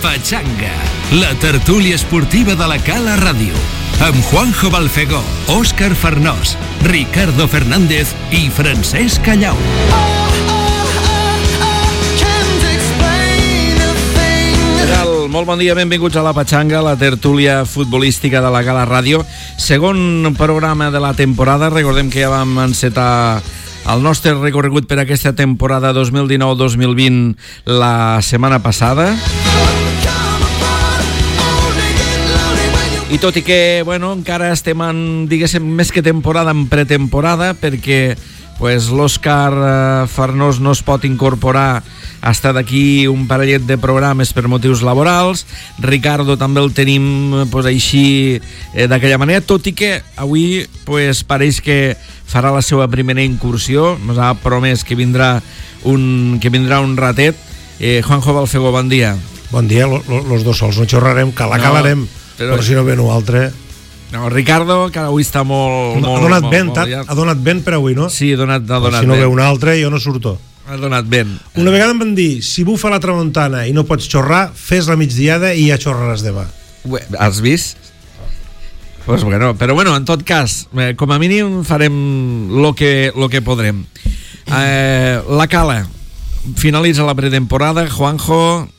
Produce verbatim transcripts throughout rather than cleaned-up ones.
Pachanga, la tertúlia esportiva de la Cala Ràdio, amb Juanjo Balfegó, Òscar Farnós, Ricardo Fernández i Francesc Callau. Molt bon dia, benvinguts a la Pachanga, la tertúlia futbolística de la Cala Ràdio. Segon programa de la temporada. Recordem que ja vam encetar el nostre recorregut per aquesta temporada dos mil dinou dos mil vint la setmana passada. I tot i que, bueno, encara estem en, diguéssim, més que temporada, en pretemporada, perquè pues, l'Òscar Farnós no es pot incorporar hasta d'aquí un parellet de programes per motius laborals. Ricardo també el tenim pues, així eh, d'aquella manera, tot i que avui pues, pareix que farà la seva primera incursió. Ens ha promès que vindrà un, que vindrà un ratet. eh, Juanjo Balfegó, bon dia. Bon dia, lo, lo, los dos sols no xorrarem, que la no, calarem, però, però si no ve un altre. No, Ricardo, que avui està molt... No, molt ha donat molt, vent, molt, ha, ha donat vent per avui, no? Sí, ha donat, ha donat si no vent. ve un altre, jo no surto. Ha donat vent. Una vegada em van dir, si bufa la tramuntana i no pots xorrar, fes la migdiada i ja xorraràs demà. Has vist? Pues bueno, però bueno, en tot cas, eh, com a mínim farem lo que, lo que podrem. Eh, la Cala finalitza la pretemporada. Juanjo,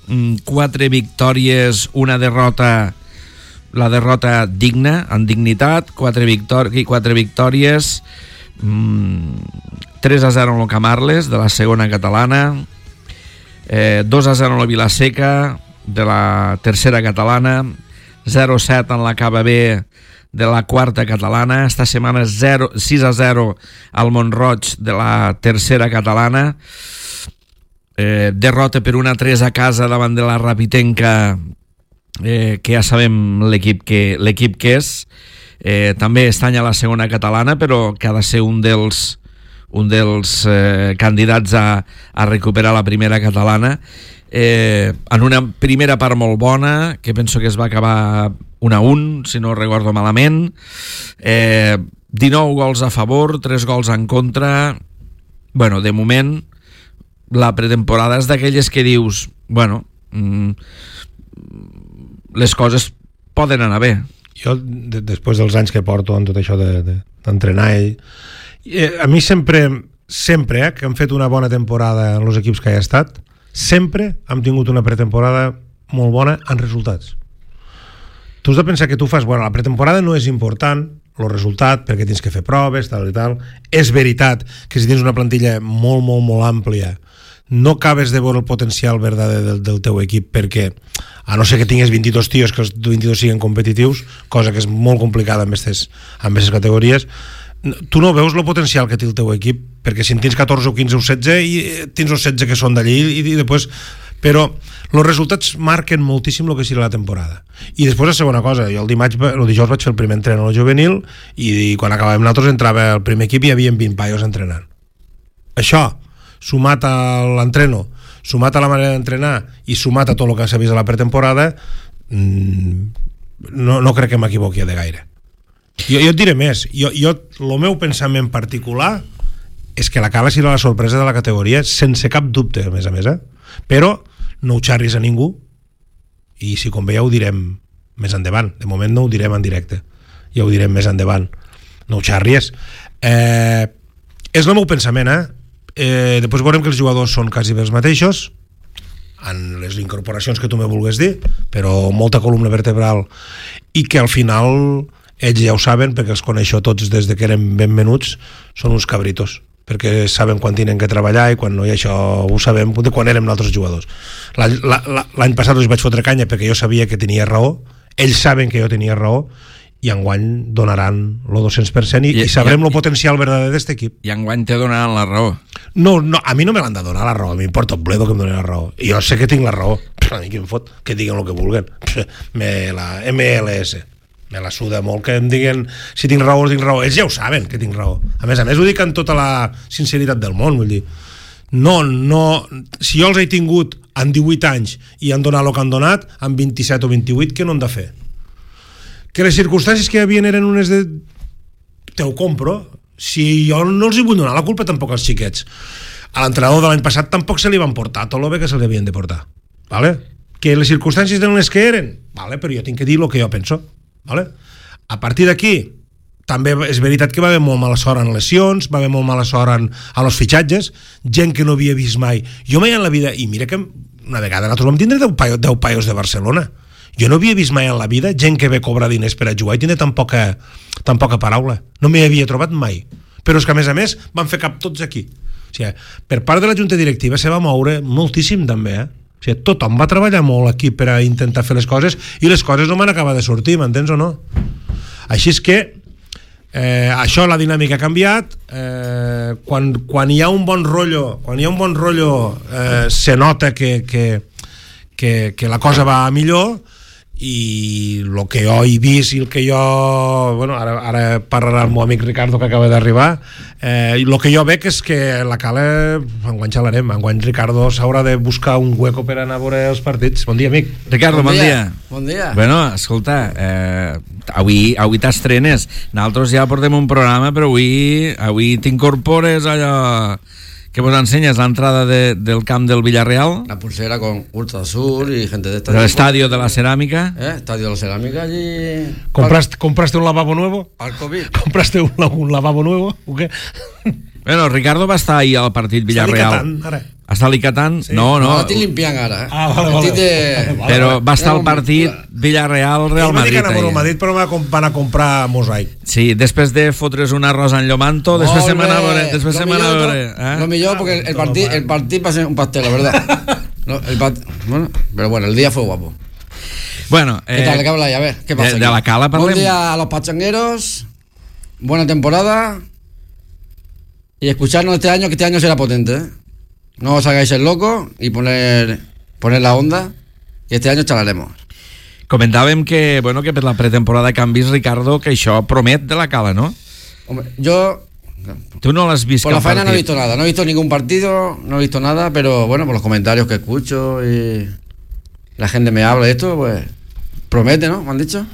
quatre victòries, una derrota, la derrota digna, en dignitat, quatre, victòri- quatre victòries, mm, tres a zero en el Camarles, de la segona catalana, eh, dos a zero en la Vilaseca, de la tercera catalana, zero a set en la Cava B, de la quarta catalana. Esta setmana zero, sis a zero al Mont-roig, de la tercera catalana. Eh, derrota per una tres a casa davant de la Rapitenca, eh, que ja sabem l'equip que, l'equip que és. Eh, també estany a la segona catalana, però que ha de ser un dels un dels eh, candidats a, a recuperar la primera catalana, eh, en una primera part molt bona, que penso que es va acabar un a un, si no recordo malament, eh, dinou gols a favor, tres gols en contra. Bueno, de moment la pretemporada és d'aquelles que dius, bueno, mm, les coses poden anar bé. Jo, de, després dels anys que porto en tot això de, de, d'entrenar ell, eh, a mi sempre sempre eh, que hem fet una bona temporada en els equips que he estat, sempre hem tingut una pretemporada molt bona en resultats. Tu has de pensar que tu fas, bueno, la pretemporada no és important el resultat, perquè tens que fer proves, tal i tal. És veritat que si tens una plantilla molt, molt, molt àmplia, no acabes de veure el potencial verdader del, del teu equip, perquè a no ser que tingués vint-i-dos tios, que els vint-i-dos siguin competitius, cosa que és molt complicada amb aquestes, amb aquestes categories, tu no veus el potencial que té el teu equip, perquè si en tens catorze o quinze o setze, i tens els setze que són d'allí, i, i després... Però els resultats marquen moltíssim el que serà la temporada. I després la segona cosa, jo el dimarts, el dijous vaig fer el primer entrenament al juvenil, i, i quan acabàvem nosaltres entrava el primer equip i hi havia vint paios entrenant. Això, sumat a l'entreno, sumat a la manera d'entrenar i sumat a tot el que s'ha vist a la pretemporada, no, no crec que m'equivoqui de gaire. Jo, jo et diré més, jo, jo, el meu pensament particular és que la Cala serà la sorpresa de la categoria, sense cap dubte, a més a més, eh? Però no ho xarris a ningú, i si convé ja ho direm més endavant. De moment no ho direm en directe, ja ho direm més endavant. No ho xarries. Eh, és el meu pensament, eh? eh? Després veurem que els jugadors són quasi bé els mateixos, en les incorporacions que tu me vulgues dir, però molta columna vertebral, i que al final ells ja ho saben, perquè els coneixo tots des de que eren ben menuts, són uns cabritos, perquè saben quan tenen que treballar, i quan no, i això ho sabem de quan érem altres jugadors. L'any, la, la, l'any passat els vaig fotre canya perquè jo sabia que tenia raó, ells saben que jo tenia raó, i enguany donaran el dos-cents per cent, i, I, i sabrem el potencial verdader d'aquest equip. I enguany te donaran la raó. No, no, a mi no me l'han de donar la raó, a mi m'importa un bledo que em donin la raó. Jo sé que tinc la raó, a mi que em fot, que diguin el que vulguen. Me la M L S me la suda molt que em diguin si tinc raó o tinc raó. Ells ja ho saben que tinc raó. A més a més ho dic amb tota la sinceritat del món, vull dir, no, no, si jo els he tingut en divuit anys i han donat el que han donat, en vint-i-set o vint-i-vuit, què no han de fer? Que les circumstàncies que hi havia eren unes de... Te ho compro. Si jo no els hi vull donar la culpa tampoc als xiquets. A l'entrenador de l'any passat tampoc se li van portar tot el bé que se li havien de portar, vale? que les circumstàncies eren les que eren, vale, però jo tinc que dir el que jo penso, vale? A partir d'aquí també és veritat que va haver molt mala sort en lesions, va haver molt mala sort en, en els fitxatges, gent que no havia vist mai. Jo mai en la vida, i mira que una vegada nosaltres vam tindre deu paios, deu paios de Barcelona, jo no havia vist mai en la vida gent que ve cobrar diners per a jugar i tindre tan poca, tan poca paraula, no m'hi havia trobat mai, però és que a més a més van fer cap tots aquí. O sigui, per part de la junta directiva se va moure moltíssim també, eh? O sigui, tothom va treballar molt aquí per a intentar fer les coses i les coses no m'han acabat de sortir, m'entens o no? Així és que eh, això, la dinàmica ha canviat, eh, quan, quan hi ha un bon rotllo quan hi ha un bon rotllo eh, se nota que, que, que, que la cosa va millor, i el que jo he vist i el que jo, bueno, ara, ara parlarà el meu amic Ricardo que acaba d'arribar, eh, i el que jo veig és que la Cala enguany xalarem, enguany Ricardo s'haurà de buscar un hueco per anar a veure els partits. Bon dia, amic. Ricardo, bon, bon dia. dia Bon dia. Bueno, escolta, eh, avui, avui t'estrenes, nosaltres ja portem un programa, però avui, avui t'incorpores allò que vos ensenyes l'entrada de, del camp del Villarreal, la pulsera con Ultra Sur y gente de esta. del estadio de la cerámica. ¿Eh? Estadio de la cerámica allí. ¿Compraste, ¿Compraste un lavabo nuevo? Al COVID. ¿Compraste un, un lavabo nuevo o qué? Bueno, Ricardo va estar ahir al partit Villarreal. Està Licatan, ara. Està a Licatan? Sí. No, no. No, estic limpiant ara. Eh? Ah, vale, vale. De... vale, Però vale. va estar al partit Villarreal-Real Madrid. Ell va dir que anava al Madrid, però van a comprar mosaic. Sí, després de fotre's un arròs en Llomanto, després se m'anava a veure. Després se m'anava a veure. Eh? Lo millor, porque el, el partido el partido va a ser un pastel, la verdad. No, el part... bueno, pero bueno, el día fue guapo. Bueno, eh, ¿qué tal? ¿Qué habláis? A ver, ¿qué pasa? De, de la Cala parlem. Buen día a los pachangueros. Buena temporada. Y escucharnos este año, que este año será potente, ¿eh? No os hagáis el loco y poner, poner la onda, que este año charlaremos. Comentàvem que, bueno, que per la pretemporada que han vist, Ricardo, que això promet de la Cala, ¿no? Hombre, yo... Tú no l'has vist por la cap faena partit. no he visto nada, no he visto ningún partido, no he visto nada, pero bueno, por los comentarios que escucho y la gente me habla de esto, pues promete, ¿no? ¿Me han dicho?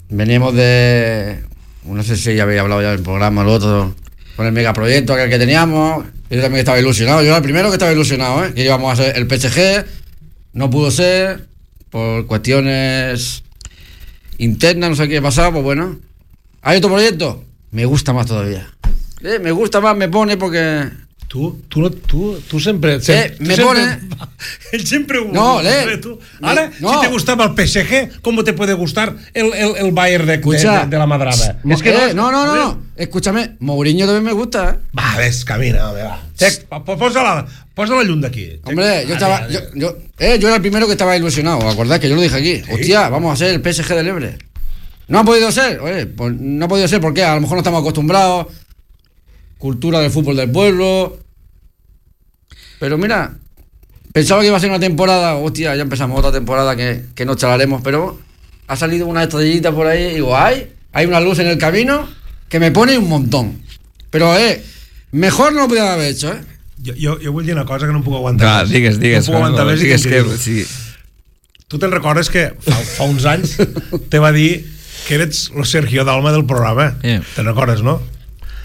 Veníamos de... no sé si ya había hablado ya del programa, el otro, con el megaproyecto aquel que teníamos. Yo también estaba ilusionado, yo era el primero que estaba ilusionado, ¿eh? Que íbamos a ser el P S G, no pudo ser, por cuestiones internas, no sé qué pasaba, pues bueno. ¿Hay otro proyecto? Me gusta más todavía. Eh, me gusta más, me pone porque... Tu, tu, no, tu, tu sempre... Eh, tu me sempre, pone... Él siempre... No, le... Tu. Ahora, no. si te gustaba el P S G, ¿cómo te puede gustar el, el, el Bayern de, Escucha, de, de, de la Madrada? Mo- Es que eh, no, no, no, no, no. Escúchame, Mourinho también me gusta, ¿eh? Va, ves, camina, home, va. Tec, posa-la, posa la llum d'aquí. Hombre, yo Vale, estaba, vale. yo, yo, eh, yo era el primero que estaba ilusionado, ¿os acordáis? Que yo lo dije aquí. ¿Sí? Hostia, vamos a ser el P S G del Ebre. No ha podido ser, oye, pues no ha podido ser, ¿por qué? A lo mejor no estamos acostumbrados. Cultura del fútbol del pueblo. Pero mira, pensaba que iba a ser una temporada, hostia, ya empezamos otra temporada que, que nos charlaremos, pero ha salido una estrellita por ahí y digo, ay, hay una luz en el camino que me pone un montón. Pero, eh, mejor no lo podía haber hecho, eh. Jo, jo, jo vull dir una cosa que no em puc aguantar Ah, més. digues, digues. No puc aguantar més i digues que, que, sí. Tu te'n recordes que fa, fa uns anys te va dir que eres el Sergio Dalma del programa. Yeah. Te'n recordes, no?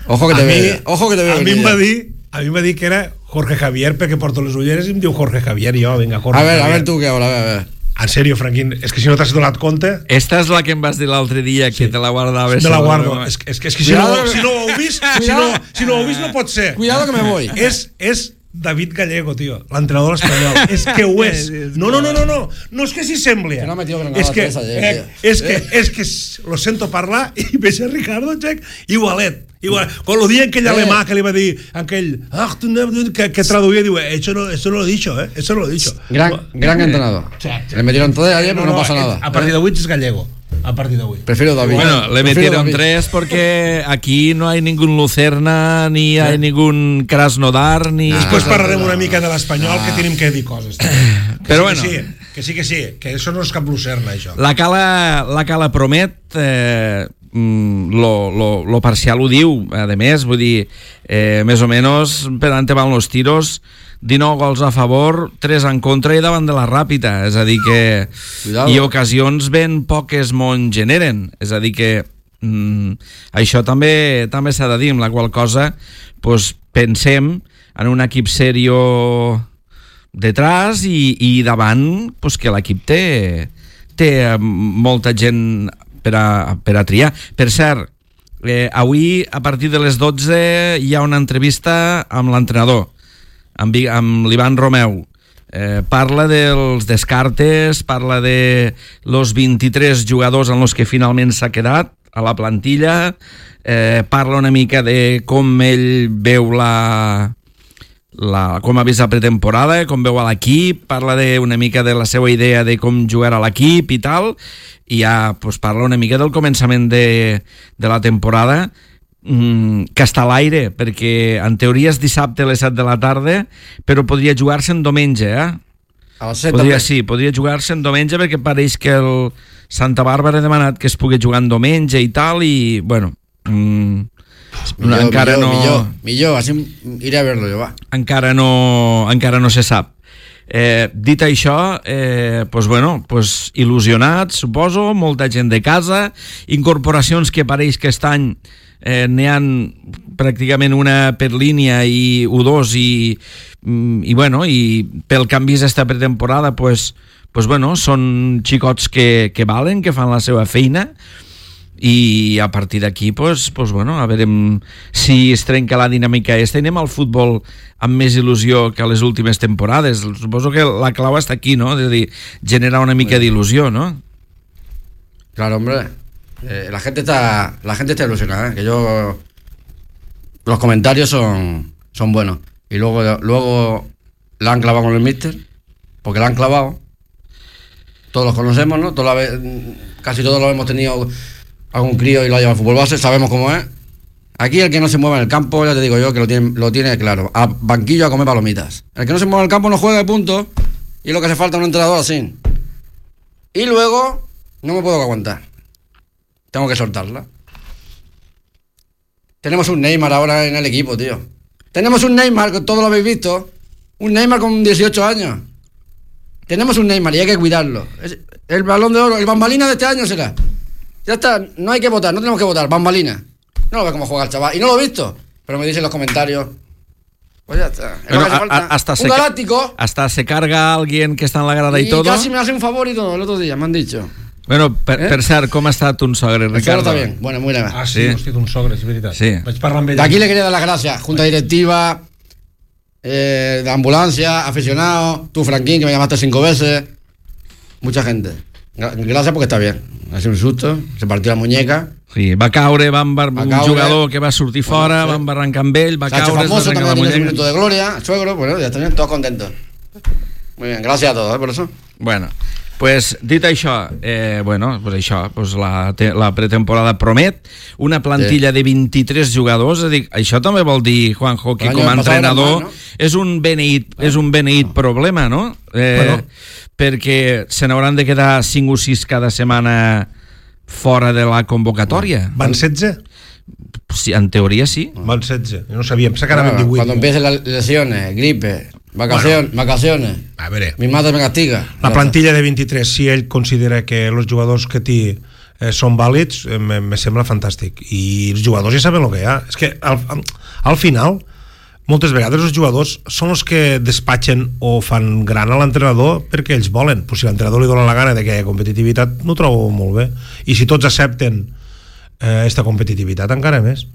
Ojo que A te mi, veo, ojo que te veo. a mi em va dir a mi em va dir que era Jorge Javier perquè porto les ulleres i em diu Jorge Javier i jo, vinga, Jorge A ver, Javier. a ver tú qué ahora, a ver, a ver. En sèrio, Franquín, és que si no t'has donat compte Esta és la que em vas dir l'altre dia, que Sí. te la guardaves. me la sobre guardo. la- És, que- és, que, és que si no, Cuidado. si no ho heu vist, si no, si no ho heu vist no pot ser. Cuidado que me voy. És, és David Gallego, tio, l'entrenador espanyol. És que ho és. No, no, no, no, no. No és que s'hi sembli. Que no ha metido Granada És que, tres ayer, eh, tío. és que, és que lo sento parlar i veig a Ricardo, Check, igualet. Igual, con lo día en aquell Eh. alemà que li va dir aquell, ah, tu no, que, que traduïa, diu, eh, eso no, eso no lo he dicho, eh, eso no lo he dicho. Gran, gran entrenador. Sí, sí. Le metieron tres ayer, pero no, pasa eh, nada. A partir d'avui és gallego. A partir d'avui. Prefiero David. Bueno, le Prefiero metieron David. tres porque aquí no hay ningún Lucerna, ni hay ningún Krasnodar, ni... Després parlarem una mica de l'espanyol, que tenim que dir coses. Que Però sí, bueno. que sí, que sí, que sí, que això no és cap lucerna, això. La Cala, la Cala promet, eh, mm, lo, lo, lo parcial ho diu, a més, vull dir, eh, més o menys per ante van los tiros, dinou gols a favor, tres en contra i davant de la Ràpita, és a dir que Cuidado. i ocasions ben poques mon generen, és a dir que mm, això també també s'ha de dir, amb la qual cosa pues, pensem en un equip serio detrás i, i davant pues, que l'equip té, té molta gent per a, per a triar. Per cert, eh, avui a partir de les dotze hi ha una entrevista amb l'entrenador, amb, amb l'Ivan Romeu. Eh, parla dels descartes, parla de los vint-i-tres jugadors en els que finalment s'ha quedat a la plantilla, eh, parla una mica de com ell veu la, la, com ha vist la pretemporada, com veu a l'equip, parla de, una mica de la seva idea de com jugarà l'equip i tal, i ja pues, parla una mica del començament de, de la temporada, mm, que està a l'aire, perquè en teoria és dissabte a les set de la tarda, però podria jugar-se en diumenge, eh? A les set podria, també. sí, podria jugar-se en diumenge perquè pareix que el Santa Bàrbara ha demanat que es pugui jugar en diumenge i tal, i bueno, mm, millor, encara millor, no millor, millor, així iré a verlo jo, va. encara no, encara no se sap. Eh, dit això, eh, pues bueno, pues il·lusionats, suposo, molta gent de casa, incorporacions que pareix que aquest any eh, n'hi ha pràcticament una per línia i u dos i, i bueno, i pel que han vist esta pretemporada, pues, pues bueno, són xicots que, que valen, que fan la seva feina, i a partir d'aquí pues, pues bueno, a veure si es trenca la dinàmica esta i anem al futbol amb més il·lusió que a les últimes temporades. Suposo que la clau està aquí, no? És a dir, generar una mica d'il·lusió, no? Claro, hombre, eh, la gente está la gente está ilusionada, ¿eh? Que yo los comentarios son son buenos, y luego luego la han clavado con el míster, porque la han clavado, todos los conocemos, ¿no? Toda la vez, casi todos lo hemos tenido algún crío y lo ha llevado al fútbol base, sabemos cómo es. Aquí el que no se mueve en el campo, ya te digo yo, que lo tiene, lo tiene claro, a banquillo a comer palomitas. El que no se mueve en el campo no juega de punto, y lo que hace falta es un entrenador así. Y luego no me puedo aguantar, tengo que soltarla. Tenemos un Neymar ahora en el equipo, tío. Tenemos un Neymar, que todos lo habéis visto, un Neymar con dieciocho años. Tenemos un Neymar y hay que cuidarlo. Es el balón de oro, el bambalina de este año será. Ya está, no hay que votar, no tenemos que votar, bambalina. No lo ve cómo juega el chaval, y no lo he visto, pero me dicen en los comentarios. Pues ya está. Es Bueno, lo que hace falta. a, hasta, un se, galáctico. hasta se carga alguien que está en la grada y, Y todo. casi me hace un favor y todo el otro día, me han dicho. Bueno, per, Eh? per cert, com ha estat un sogre, El sogre Ricardo? está bien, bueno, muy bien. Ah, sí, Sí. hòstia, un sogre, és veritat. Sí. Vaig parlar amb ell. De aquí le quería dar las gracias, junta directiva, eh, de ambulancia, aficionados, tú Franquín, que me llamaste cinco veces, mucha gente. Gra- Gracias porque está bien. Ha sido un susto, se partió la muñeca. Sí, va caure, va embar... Va un caure. jugador que va sortir fora, Bueno, sí. va embarrancar amb ell, va Se ha hecho caure, es va famoso, trencar también la tiene un muñeca. minuto de gloria, suegro, bueno, ya están todos contentos. Muy bien, gracias a todos, ¿eh? Por eso. Bueno, pues dit això, eh, bueno, pues això, pues la, te, la pretemporada promet una plantilla Sí. de vint-i-tres jugadors, és a dir, això també vol dir, Juanjo, que L'any com a passat era entrenador más, no? és un beneït, és un beneït problema, no? Eh, Bueno. perquè se n'hauran de quedar cinc o sis cada setmana fora de la convocatòria. Van setze? Sí, en teoria sí. Van setze. No sabíem, sé que anaven Bueno, divuit. cuando empiecen las lesiones, gripe, vacaciones, vacaciones, A veure, mi madre me castiga. la plantilla de vint-i-tres, si ell considera que els jugadors que té eh, són vàlids, eh, me, me sembla fantàstic. I els jugadors ja saben el que hi ha. És que al, al final, moltes vegades els jugadors són els que despatxen o fan gran a l'entrenador perquè ells volen. Pues si l'entrenador li dona la gana de que hi hagi competitivitat, no ho trobo molt bé. I si tots accepten eh, esta competitivitat, encara més.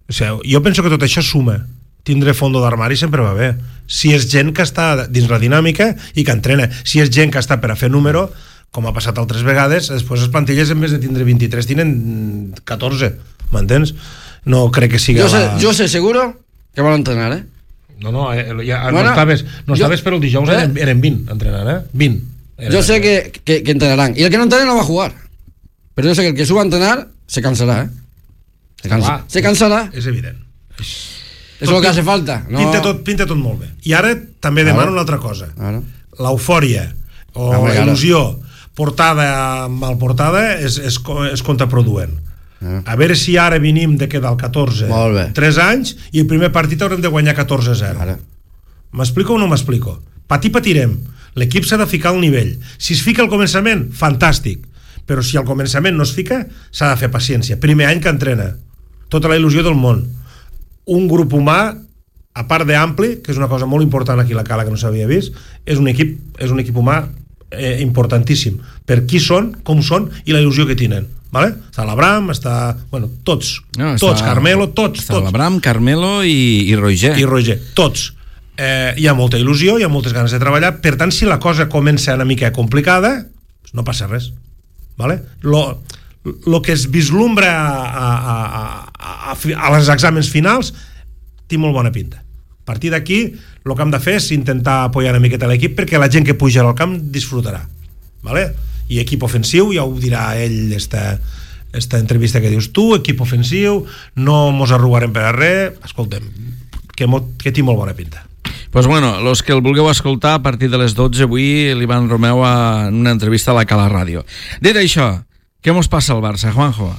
O sigui, jo penso que tot això suma. Tindre fondo d'armari sempre va bé. Si és gent que està dins la dinàmica i que entrena. Si és gent que està per a fer número, com ha passat altres vegades, després les plantilles en vez de tindre vint-i-tres tenen catorze, m'entens? No crec que siga Yo sé, la... yo sé seguro que van a entrenar, ¿eh? No, no, eh, ja, Bueno, no estaves, no jo- estaves però el dijous eh? eren, eren vint entrenant, eh? vint. Eren, Yo sé que, que, que entrenarán. Y el que no entrene no va a jugar. Pero yo sé que el que suba a entrenar se cansará, ¿eh? Se, cansa, Clar. se cansarà. És evident. Eso es lo que hace falta. No... Pinta, tot, pinta tot molt bé. I ara també Claro. demano una altra cosa. Claro. L'eufòria o Home, la claro. il·lusió portada mal portada és, és, co- és contraproduent. Ah. A veure si ara venim de quedar al catorze Molt bé. tres anys i el primer partit haurem de guanyar catorze a zero. Claro. M'explico o no m'explico? Patir patirem. L'equip s'ha de ficar al nivell. Si es fica al començament, fantàstic. Però si al començament no es fica, s'ha de fer paciència. Primer any que entrena. Tota la il·lusió del món. Un grup humà a part d'ampli, que és una cosa molt important aquí a la Cala que no s'havia vist, és un equip, és un equip humà eh, importantíssim per qui són, com són i la il·lusió que tenen, vale? Està l'Abram, està, bueno, tots no, tots, està, Carmelo, tots està tots. l'Abram, Carmelo i, i Roger i Roger, tots eh, hi ha molta il·lusió, hi ha moltes ganes de treballar, per tant si la cosa comença una mica complicada no passa res, vale? Lo, lo que es vislumbra a, a, a, a, a als exàmens finals té molt bona pinta. A partir d'aquí el que hem de fer és intentar apoyar una miqueta l'equip perquè la gent que puja al camp disfrutarà, vale? I equip ofensiu, ja ho dirà ell esta, esta entrevista que dius tu, equip ofensiu, no mos arrugarem per a res, escoltem, que, mo, que té molt bona pinta. Pues bueno, los que el vulgueu escoltar a partir de les dotze avui l'Ivan Romeu en una entrevista a la Cala Ràdio. Dit això, què mos passa al Barça, Juanjo?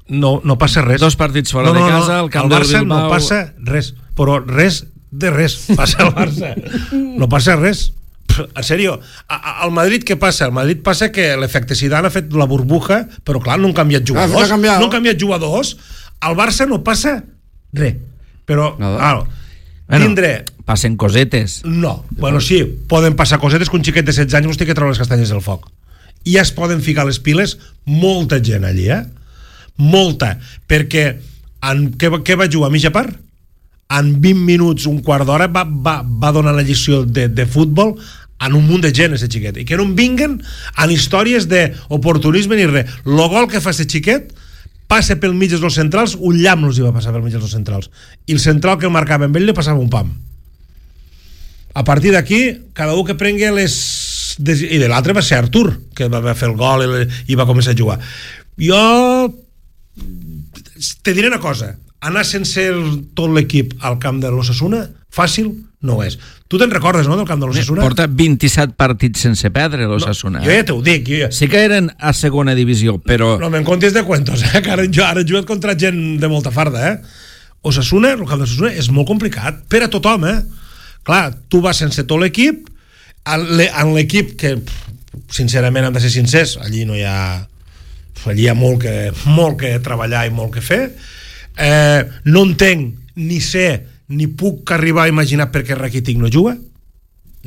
No, no passa res. Dos partits fora no, no, de casa, no, el camp del Barça del Bilbao... no passa res, però res de res passa al Barça. No passa res. En sèrio, al Madrid què passa? Al Madrid passa que l'efecte Zidane ha fet la burbuja, però clar, no han canviat jugadors. Ah, no han canviat jugadors. Al Barça no passa res. Però, claro, bueno, tindre... passen cosetes. No, bueno, sí, poden passar cosetes que un xiquet de setze anys mos té que treure les castanyes del foc. I ja es poden ficar les piles molta gent allí, eh? Molta, perquè en, què, què va jugar a mitja part? En vint minuts, un quart d'hora va, va, va donar la lliçó de, de futbol en un munt de gent, aquest xiquet, i que no en vinguen en històries d'oportunisme ni res. El gol que fa aquest xiquet passa pel mig dels centrals, un llamp els hi va passar pel mig dels centrals, i el central que el marcava amb ell li passava un pam. A partir d'aquí, cada un que prengui les... i de l'altre va ser Artur, que va fer el gol i, i va començar a jugar. Jo te diré una cosa, anar sense el, tot l'equip al camp de l'Osasuna fàcil no és. Tu te'n recordes, no, del camp de l'Osasuna? Porta vint-i-set partits sense perdre l'Osasuna. No, jo ja t'ho dic. Jo ja... Sí que eren a segona divisió, però... No me'n contis de cuentos, eh? Que ara, ara he jugat contra gent de molta farda, eh? Osasuna, el camp de l'Osasuna és molt complicat per a tothom, eh? Clar, tu vas sense tot l'equip, en l'equip que, sincerament, hem de ser sincers, allí no hi ha... allí hi ha molt que, molt que treballar i molt que fer. Eh, no entenc, ni sé, ni puc arribar a imaginar per què Rakitic no juga.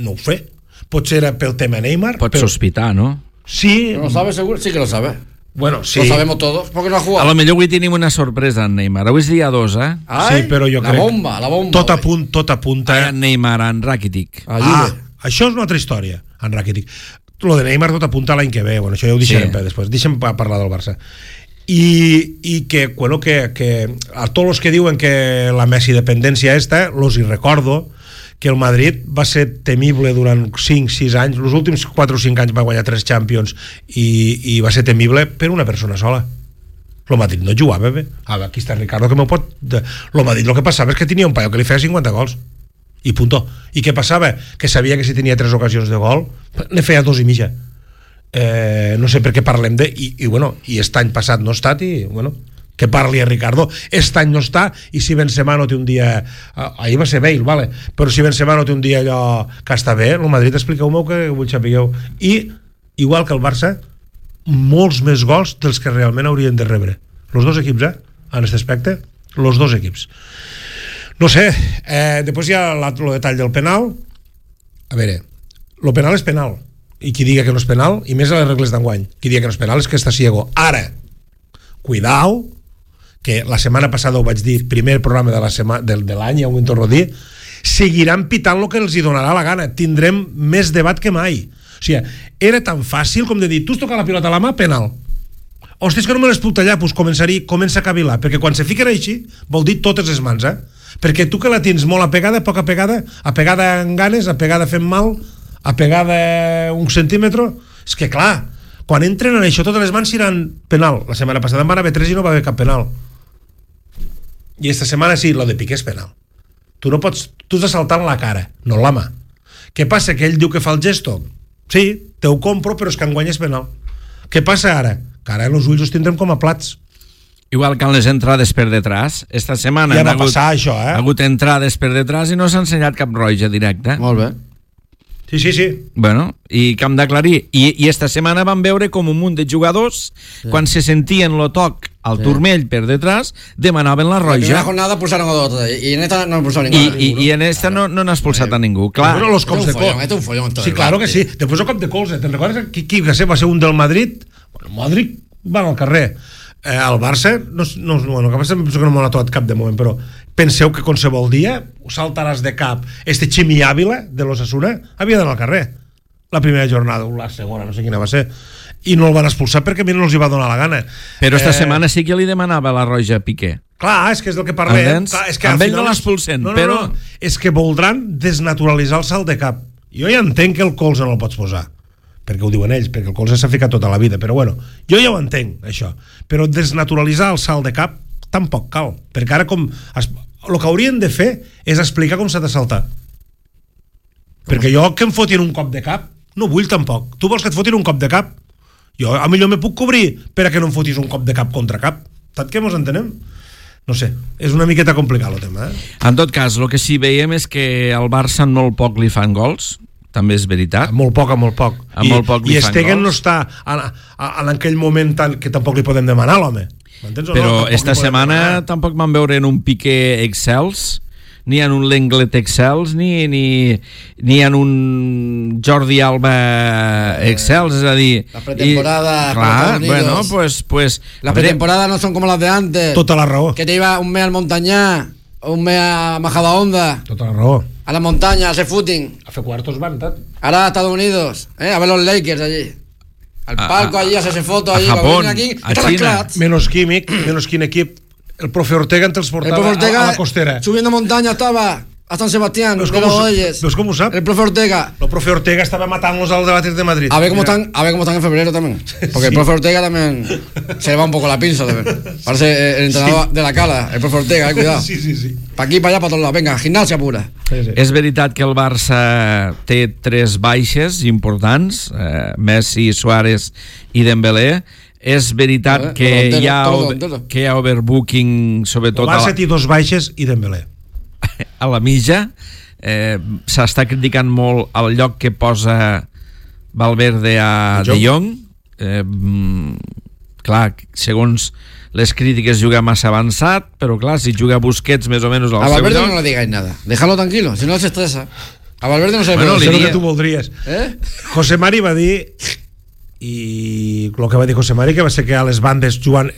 No ho sé. Potser era pel tema Neymar. Pots però... sospitar, ¿no? Sí. ¿No lo sabe seguro? Sí que lo sabe. Bueno, sí. Lo sabemos todos, porque no ha jugado. A lo millor avui tenim una sorpresa en Neymar. Avui és dia dos, eh? Ai, sí, però jo la crec... bomba, la bomba. Tot apunt, tot apunta... Ah, en Neymar, en Rakitic. Ah, això és una altra història, en Rakitic. Lo de Neymar tot apunta l'any que ve, bueno, això ja ho deixarem sí. per després. Deixem parlar del Barça. I, i que, bueno, que, que a tots els que diuen que la Messi dependència esta, los hi recordo que el Madrid va ser temible durant cinc sis anys, els últims quatre o cinc anys va guanyar tres Champions i, i va ser temible per una persona sola. El Madrid no jugava bé. Ah, aquí està Ricardo que m'ho pot... El Madrid el que passava és que tenia un paio que li feia cinquanta gols i punto. I què passava? Que sabia que si tenia tres ocasions de gol ne feia dos i mitja. Eh, no sé per què parlem de... I, i bueno, i aquest any passat no ha estat i bueno, que parli a Ricardo. Aquest any no està i si Benzema no té un dia... Ahir va ser Bale, vale? Però si Benzema no té un dia allò que està bé, el Madrid expliqueu-me que vull sapigueu. I, igual que el Barça, molts més gols dels que realment haurien de rebre. Els dos equips, eh? En aquest aspecte, els dos equips. No sé, eh, després hi ha el detall del penal. A veure, el penal és penal, i qui diga que no és penal, i més a les regles d'enguany, qui diga que no és penal és que està ciego. Ara, cuidao, que la setmana passada ho vaig dir, primer programa de la sema, de, de l'any, ja ho torno a dir, seguiran pitant el que els hi donarà la gana, tindrem més debat que mai. O sigui, era tan fàcil com de dir, tu has tocat la pilota a la mà, penal. Hòstia, és que no me les puc tallar, doncs començaria, comença a cavilar, perquè quan se fiquen així, vol dir totes les mans, eh? Perquè tu que la tens molt apegada, poc apegada, apegada en ganes, apegada fent mal, apegada un centímetre, és que clar, quan entren en això totes les mans seran penal. La setmana passada en van haver tres i no va haver cap penal. I esta setmana sí, lo de Piqué és penal. Tu no pots, tu has de saltar la cara, no la mà. Què passa? Que ell diu que fa el gesto? Sí, te ho compro, però és que enguany és penal. Què passa ara? Que ara els ulls els tindrem com a plats. Igual que en les entrades per detrás. Esta setmana ja va hagut, passar això, eh? ha hagut entrades per detrás i no s'ha ensenyat cap roja directa. Molt bé. Sí, sí, sí. Bueno, i que hem d'aclarir. I, I esta setmana vam veure com un munt de jugadors, sí. quan se sentien lo toc al sí. turmell per detrás, demanaven la roja. En la primera jornada pulsaron a dos, y en esta no expulsaron ningú. I, i, I en esta claro. no, no n'ha expulsat a ningú. Clar. Bueno, los cops de colze. Este un follón. Sí, claro que sí. Després el cop de colze. Te'n recordes qui, qui va ser? Va ser un del Madrid. Bueno, Modric va al carrer. Eh, el Barça, no, no, bueno, que passa, penso que no m'ho ha tocat cap de moment, però penseu que qualsevol dia saltaràs de cap este Ximi Ávila de l'Osasuna havia d'anar al carrer la primera jornada o la segona, no sé quina va ser, i no el van expulsar perquè a mi no els hi va donar la gana. Però esta eh... setmana sí que li demanava la roja a Piqué. Clar, és que és del que parlem. Clar, és que amb ell no l'expulsen, no, no, però... No, és que voldran desnaturalitzar el salt de cap. Jo ja entenc que el colze no el pots posar, perquè ho diuen ells, perquè el colze s'ha ficat tota la vida, però bueno, jo ja ho entenc, això. Però desnaturalitzar el salt de cap tampoc cal, perquè ara com... Es... el que haurien de fer és explicar com s'ha de saltar. Perquè jo que em fotin un cop de cap no vull tampoc. Tu vols que et fotin un cop de cap? Jo a millor me puc cobrir per a que no em fotis un cop de cap contra cap. Tant que mos entenem? No sé, és una miqueta complicat el tema, eh? En tot cas, el que sí veiem és que al Barça molt poc li fan gols, també és veritat. A molt poc, a molt poc. A I, molt poc li i fan Stegen gols. no està en, en aquell moment tan, que tampoc li podem demanar, l'home. M'entens o no? Però esta setmana demanar. Tampoc van veure en un Piqué excels, ni en un Lenglet excels, ni, ni, ni en un Jordi Alba excels, és a dir... La pretemporada... I, clar, bueno, pues... pues la pretemporada no son como las de antes. Tota la raó. Que te iba un mes al Montañá, un mes a Majadahonda. Tota la raó. A la montaña, a hacer footing. A fer cuartos van, tant. Ahora a Estados Unidos, ¿eh? A ver los Lakers allí. Al palco a, allí, a hacerse fotos allí. A Japón, aquí, a China. Menos químic, menos quin equip. El profe Ortega entre els portava el profe Ortega, a, a la costera. Subiendo montaña estaba a San Sebastián. ¿Ves cómo, ¿Ves cómo sabe? El profe Ortega. El profe Ortega estaba matándolos a los debates de Madrid. A ver cómo están, a ver cómo están en febrero también. Porque sí. El profe Ortega también se le va un poco la pinza también. Parece el entrenador sí. de la Cala, el profe Ortega, eh, cuidado. Sí, sí, sí. Pa' aquí, pa' allá, pa' todos lados. Venga, gimnasia pura. Sí, sí. És veritat que el Barça té tres baixes importants, eh, Messi, Suárez i Dembélé. És veritat eh, que, hi ha over, que hi ha overbooking, sobretot... El Barça té dos baixes i Dembélé. A la mitja. Eh, s'està criticant molt el lloc que posa Valverde a De Jong. Eh, clar, segons les crítiques juga massa avançat, però clar, si juga Busquets més o menys al a seu Valverde lloc... no le digáis nada, déjalo tranquilo, si no se estresa. A Valverde no se bueno, le puede. Bueno, que tu voldries. ¿Eh? José Mari va dir, i el que va dir José Mari, que va ser que a les bandes jugant,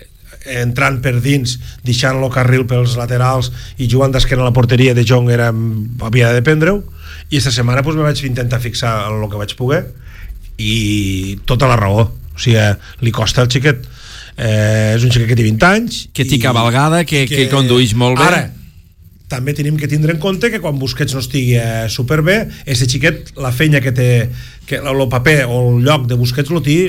entrant per dins, deixant-lo carril pels laterals i jugant d'esquena a la porteria de Jong era, havia de dependre-ho, i esta setmana pues, me vaig intentar fixar en el que vaig poder i tota la raó, o sigui, li costa el xiquet, eh, és un xiquet que té vint anys que té cabalgada, que, que, que conduïx molt bé. Ara, també tenim que tindre en compte que quan Busquets no estigui eh, superbé, aquest xiquet, la feina que té, que el paper o el lloc de Busquets lo té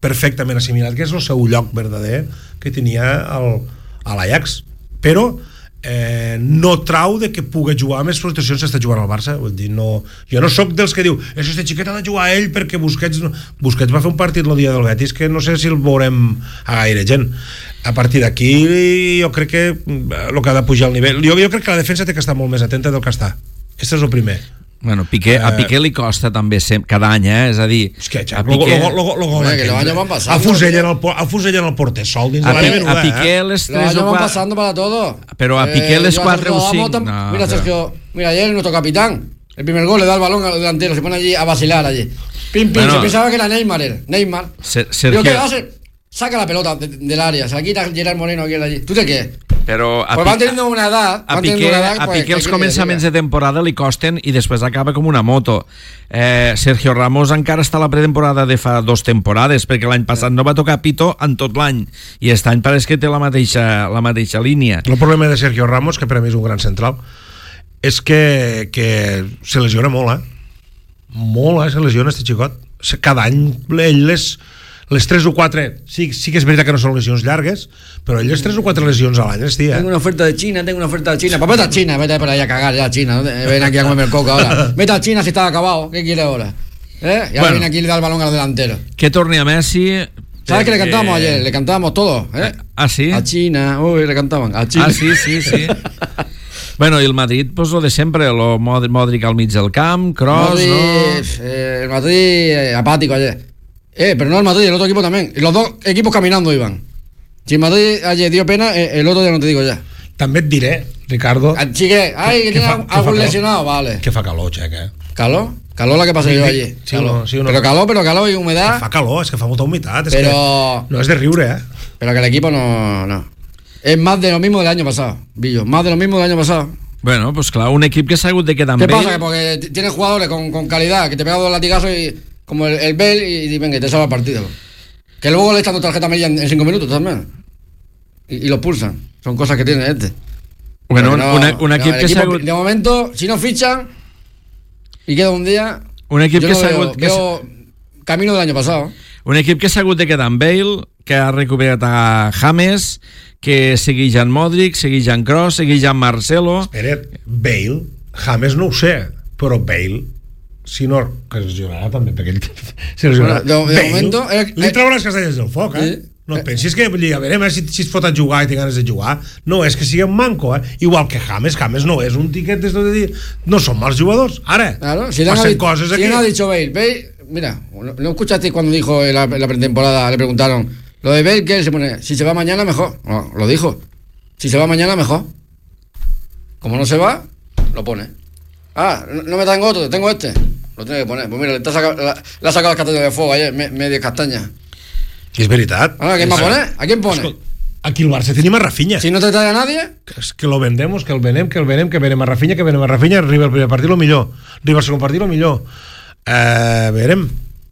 perfectament assimilat, que és el seu lloc verdader que tenia el, a l'Ajax, però eh, no trau de que pugui jugar a més situacions si està jugant al Barça. Vull dir, no, jo no sóc dels que diu este xiquet ha de jugar a ell perquè Busquets no... Busquets va fer un partit el dia del Betis que no sé si el veurem a gaire gent. A partir d'aquí jo crec que el que ha de pujar el nivell, jo, jo crec que la defensa té que estar molt més atenta del que està. Aquest és el primer. Bueno, Piqué, a Piqué li costa també sem- cada any, eh? És a dir, és que, a Piqué... Lo, lo, lo, lo, Oye, que los años van pasando. El fusellen el, el, fusellen el porter sol dins a, de la menuda, a Piqué eh? les Los tres años o van quatre... pasando para todo. Pero a Piqué eh, les yo a quatre Sergio o cinc... Ramos, No, mira, pero... Sergio, mira, ayer nuestro capitán, el primer gol le da el balón al delantero, se pone allí a vacilar allí. Pim, pim, Bueno, se pensaba que era Neymar, él. Neymar. Se- Sergio... Digo, ¿qué hace? Saca la pelota de- del área, se la quita Gerard Moreno aquí allí. ¿Tú te qué? Però a, Pues van teniendo una edad, a van teniendo Piqué, una edad, a pues, Piqué els ¿qué començaments quiere de temporada li costen i després acaba com una moto. Eh, Sergio Ramos encara està a la pretemporada de fa dos temporades, perquè l'any passat no va tocar pito en tot l'any, i aquest any pareix que té la mateixa, la mateixa línia. El problema de Sergio Ramos, que per a mi és un gran central, és que, que se lesiona molt, eh? Molt, eh? Se lesiona este xicot. Cada any ell les... les tres o quatre, sí, sí que és veritat que no són lesions llargues, però ell les tres o quatre lesions a l'any es dia. Tengo una oferta de China, tengo una oferta de China. Pues vete a China, vete por ahí a cagar ya a China. ¿No? Ven aquí a comerme el coco ahora. Vete a China si está acabado. ¿Qué quiere ahora? ¿Eh? Y ahora Bueno. viene aquí y le da el balón al delantero. Que torni a Messi... ¿Sabes que le perquè- cantábamos ayer? Le cantábamos todos. ¿eh? Ah, sí? A China. Uy, le cantaban. A China. Ah, sí, sí, sí. Bueno, y el Madrid, pues lo de siempre, lo Modric al mig del camp, Kroos, Madrid, ¿no? eh, el Madrid eh, apático ayer. Eh, pero no el Madrid, el otro equipo también. Los dos equipos caminando iban. Si el Madrid ayer dio pena, eh, el otro ya no te digo ya. També et diré, Ricardo... Ah, Chique, ay, que, que tiene fa, algún que lesionado, vale. Que fa calor, Xec, eh? ¿Calor? Calor la que pasé yo allí. Sí, no, sí, no. Pero calor, pero calor y humedad. Que fa calor, és que fa molta humitat. És pero... que no és de riure, eh? Pero que el equipo no, no. Es más de lo mismo del año pasado, Billo. Más de lo mismo del año pasado. Bueno, pues claro, un equipo que s'ha hagut de quedar amb ¿Qué ell... pasa? Que porque tiene jugadores con, con calidad, que te pega dos latigazos y como el, el Bell y, y venga, te salva el partido. Que luego le echan tu tarjeta amarilla en, en cinco minutos también. Y, y lo pulsan. Son cosas que tiene este. Bueno, no, un, un equip no, que s'ha hagut... De momento, si no fichan y queda un día... Un equip yo que no s'ha veo, hagut... Que veo camino del año pasado. Un equip que s'ha hagut de quedar amb Bale, que ha recuperat a James, que segueix en Modric, segueix en Kroos, segueix en Marcelo... Espera't, Bale, James no ho sé, però Bale, si no, que es jugarà també, perquè ell se lesionarà. Bueno, de, de Bale, momento... Eh, li traurà les castanyes del foc, eh? Sí. No et pensis que, vull dir, a veure, si, si es fot a jugar i té ganes de jugar, no és que sigui un manco, eh? Igual que James, James no és un tiquet d'esto de dir, no són mals jugadors, ara, claro, si passen ha, coses si aquí. Si ha dicho Bale, Bale, mira, ¿no escuchaste cuando dijo en la, en la pretemporada, le preguntaron, lo de Bale, que se pone, si se va mañana mejor? No, lo dijo, si se va mañana mejor. Como no se va, lo pone. Ah, no, no me tengo otro, tengo este, lo tiene que poner. Pues mira, le, está saca, la, le ha sacado las castañas de fuego ayer, me, media castaña. És veritat. Ahora, ¿quién va a poner? ¿A quién pone? Aquí el Barça tenim a Rafinha. Si no te trae a nadie... Que, es que lo vendemos, que el venem, que el venem, que venem a Rafinha, que venem a Rafinha, arriba el primer partit lo millor, arriba el segon partit lo millor. Eh, verem,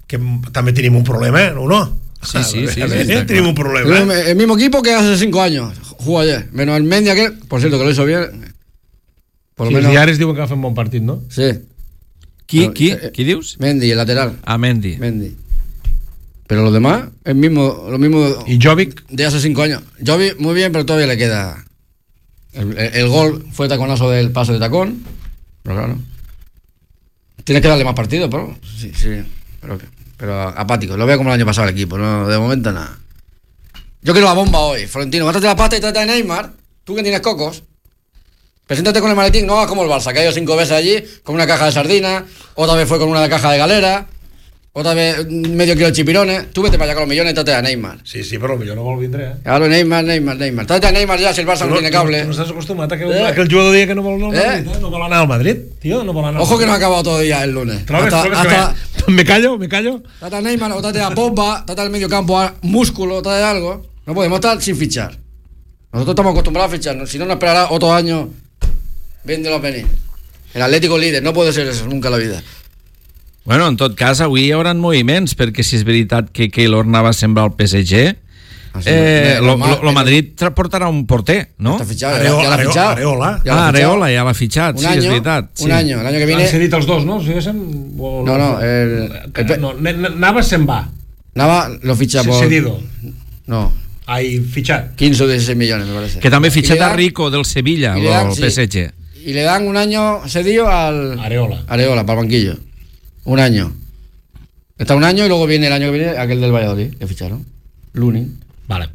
que també tenim un problema, eh? ¿O no? Sí, sí, sí. sí, sí, sí tenim un problema. El, el mismo equipo que hace cinco años jugó ayer, menos el Mendy aquel, por cierto, que lo hizo bien. Por lo Sí, menos... els diaris diuen que va fer un bon partit, no? Sí. Qui, No, qui, eh, qui dius? Mendy, el lateral. Ah, Mendy. Mendy. Pero los demás, el mismo, lo mismo ¿Y Jovic? de hace cinco años. Jovic muy bien, pero todavía le queda. El, el, el gol fue taconazo del paso de tacón. Pero claro. Tienes que darle más partidos, pero sí, sí. Pero, pero apático. Lo veo como el año pasado el equipo, no, de momento nada. Yo quiero la bomba hoy. Florentino, gástate la pasta y trata de Neymar. Tú que tienes cocos. Preséntate con el maletín, no hagas como el Barça, que ha ido cinco veces allí con una caja de sardinas, otra vez fue con una caja de galera. Otra vez medio kilo de chipirones. Tú vete para allá con los millones y trate a Neymar. Sí, sí, però millor no vol vindre, eh? Claro, Neymar, Neymar, Neymar. Trate a Neymar ya si el Barça no, no tiene cable. No, no estàs acostumat a que, eh? a que el jugador digui que no vol anar al eh? Madrid, eh? No vol anar al Madrid, tío, no vol anar al Ojo que no ha Madrid. acabado todavía el lunes. Trobes, hasta, trobes hasta, que me... me callo, me callo. Trate a Neymar o trate a Pogba, trate al medio campo a Músculo, trate algo. No podemos estar sin fichar. Nosotros estamos acostumbrados a fichar. Si no, nos esperará otro año viéndolo venir. El Atlético líder, no puede ser eso nunca en la vida. Bueno, en tot cas, avui hi haurà moviments, perquè si és veritat que Keylor anava a sembrar el P S G, Ah, sí, eh, no, lo, no, lo, lo Madrid tra- portarà un porter, no? Está fichado, Areola, ya, ya lo ha Areola, fichado. Areola. Ya lo Ah, ha fichado. Areola ja l'ha fitxat, Un sí, año, és veritat. Sí. un año, el año que Han viene. cedit els dos, no? Si diguéssim, o No, no, el, Que- el, no, ne- ne- anava se'n va. Nava lo ficha por. Cedido. No, Ai, fitxat. quince o dieciséis millones, me parece. Que també ha Y le fitxat a dan- Rico del Sevilla, y le dan, el sí. P S G. Y le dan un año cedido al. Areola. Areola, para el banquillo. Un año. Está un año y luego viene el año que viene aquel del Valladolid, que ficharon. Lunin. Vale.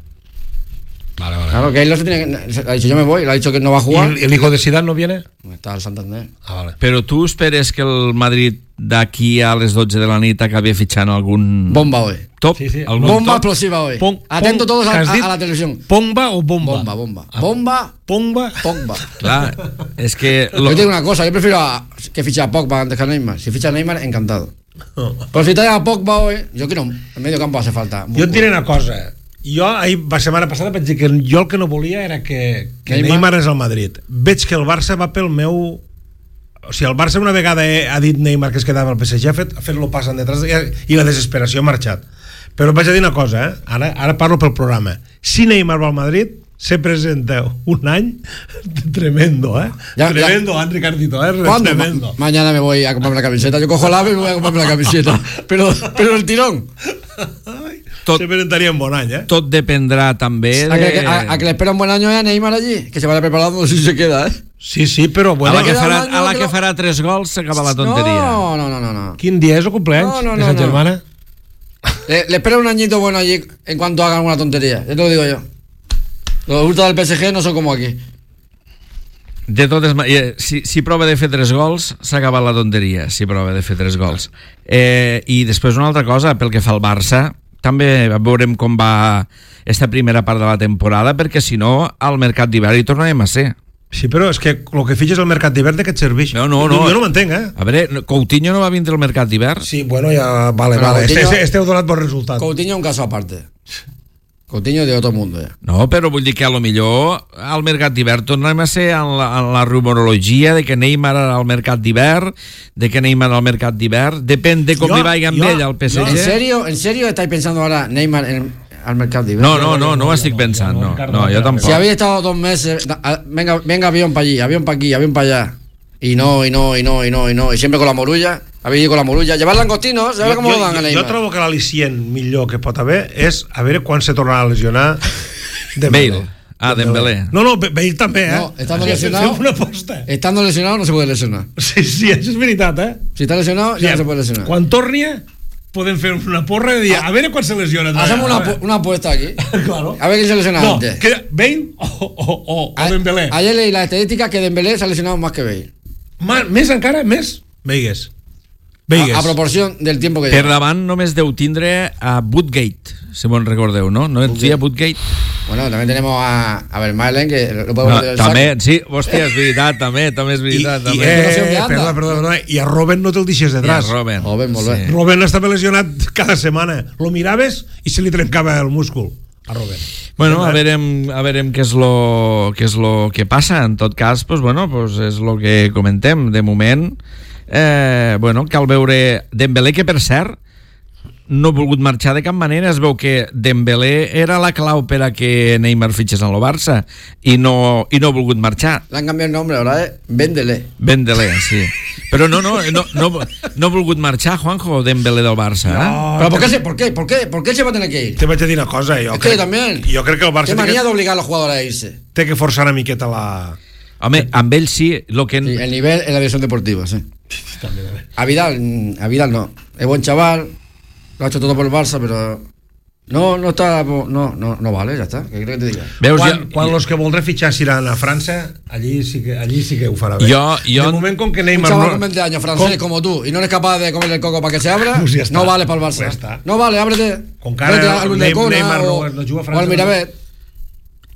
Vale, vale. Claro, que él no se tiene que. Ha dicho yo me voy, le ha dicho que no va a ¿Y jugar. el, el hijo de Zidane no viene? Está al Santander. Ah, vale. Però tu esperes que el Madrid d'aquí a les dotze de la nit acabi fitxant algun Bomba hoy. top? Sí, sí. Algun Bomba top? explosiva hoy. Pon- Atento pon- todos a, ¿qué has a- dit? a la televisión. ¿Pomba o bomba? Bomba, bomba. Ah. Bomba, Pomba. Pogba. Clar, és que... Yo te digo una cosa, yo prefiero a, que fiche a Pogba antes que a Neymar. Si ficha a Neymar, encantado. Pero si trae a Pogba hoy, yo quiero. En medio campo hace falta. Jo et diré una cosa. Jo, ahir, la setmana passada, vaig dir que jo el que no volia era que, que Neymar. Neymar és al Madrid. Veig que el Barça va pel meu... O sigui, el Barça una vegada ha dit Neymar que es quedava al P S G, ha fet, ha fet lo passen detrás i, i la desesperació ha marxat. Però et vaig a dir una cosa, eh? ara, ara parlo pel programa. Si Neymar va al Madrid, se presenta un any tremendo, ¿eh? Ya, tremendo, ya. Ricardito, ¿eh? ¿Cuándo? Tremendo. Ma- mañana me voy a comprarme la camiseta. Yo cojo el ave y me voy a comprarme la camiseta. Pero, pero el tirón. Tot, Se presentaria un bon any, eh? tot dependrà també A que, de... a, a que le espera un buen año a Neymar allí. Que se vaya preparando si se queda, ¿eh? Sí, sí, però A bueno... la que queda farà, un año a la que que lo- farà tres gols s'acaba la tonteria. No, no, no, no. no. Quin dia és el cumpleaños No, no, de no, Sa no. germana? Le, le espera un añito bueno allí en cuanto hagan una tontería. Yo te lo digo yo. Los ultras del P S G no son como aquí. De totes maneres, si, si prova de fer tres gols, s'ha acabat la tonteria, si prova de fer tres gols. Eh, I després una altra cosa, pel que fa al Barça, també veurem com va esta primera part de la temporada, perquè si no, al mercat d'hivern hi tornarem a ser. Sí, però és que el que fitxes al mercat d'hivern de què et serveix? No, no, no. Jo no m'entenc, eh? A veure, Coutinho no va vindre al mercat d'hivern? Sí, bueno, ja... Vale, Però vale. Coutinho- Este, este, este heu donat bon resultat. Coutinho un caso aparte. Coutinho de otro mundo, ya. No, però vull dir que a lo millor al mercat d'hivern tornem a ser en la, en la rumorologia de que Neymar era al mercat d'hivern, de que Neymar al mercat d'hivern, depèn de com Jo- li vagi amb jo- ell al P S G. ¿En serio, ¿En serio estáis pensando ahora Neymar en, al mercado de No, invierno? no, no, no ho estic pensant, no, no, jo tampoc. Si habéis estado dos meses, da- a- venga, venga avión para allí, avión para aquí, avión para allá. Y no, y no, y no, y no, y no. Y siempre con la morulla. Habéis ido con la morulla. Llevar langostinos, a ver cómo jo, lo dan a jo, Neymar. jo trobo que l'al·licient millor que pot haver és a veure quan se tornarà a lesionar Bale. Ah, Dembélé. No, no, Bale també, eh? No, estando Sí, lesionado- fem una aposta. Estando lesionado no se puede lesionar. Sí, sí, això és veritat, eh? Si está lesionado, ya no se puede lesionar. Quan torni, podem fer una porra i dir, a veure quan se lesiona. Hacemos una, A veure. apu- una apuesta aquí. Claro. A ver quién se lesiona No, antes. que Bale o, o, o, o A- Dembélé. Ayer leí la estadística que Dembélé se ha lesionado más que Bale. Ma, més encara, més? Veigues. Veigues. A, a proporción del tiempo que Per lleva. davant només deu tindre a Woodgate, si me'n recordeu, no? No et dia Woodgate? Bueno, también tenemos a, a Vermaelen, que lo podemos No, meter en el també, saco. sí, hòstia, és veritat, també, també és I, veritat. i, també. eh, no sé on anda. perdona, perdona, perdona, i a Robben no te'l deixes I a detrás. Robben. Robben, molt bé. Robben estava lesionat cada setmana. Lo miraves i se li trencava el múscul a Robben. Bueno, a veurem, a veurem què és lo, què és lo que passa. En tot cas, pues, bueno, pues és lo que comentem. De moment, eh, bueno, cal veure Dembélé, que per cert no ha volgut marxar de cap manera. Es veu que Dembélé era la clau per a que Neymar fitxés en el Barça i no, i no ha volgut marxar. Le han cambiado el nombre ahora, ¿eh? Véndele. Dembélé, sí. Però no, no, no, no, no ha volgut marxar, Juanjo, Dembélé del Barça. Eh? ¿Pero por qué, se, por, qué, por, qué, ¿Por qué se va a tener que ir? Te vaig a dir una cosa. Jo Es que crec, también. Jo crec que el Barça Qué té manía de que, obligar a los jugadores a irse. té que forçar una miqueta la... Home, amb ell sí, lo que... Sí, el nivel en la división deportiva, sí. A Vidal, mm, a Vidal no. Es buen chaval, lo ha hecho todo por el Barça, pero no, no está, no, no, no vale, ya está. ¿Qué crees que te diga? Veus, Quan, jo, quan los que voldrà fitxar seran a França, allí sí que, allí sí que ho farà bé. Jo- jo- de moment, com que Un Neymar chaval no... con veinte años francés com- como tú y no eres capaz de comerle el coco para que se abra, Pues ya está. no vale para el Barça. Pues ya está. No vale, ábrete. Con cara Vete de- al Neym- Ulldecona Neymar no- o, no juga a o França, al Miravet.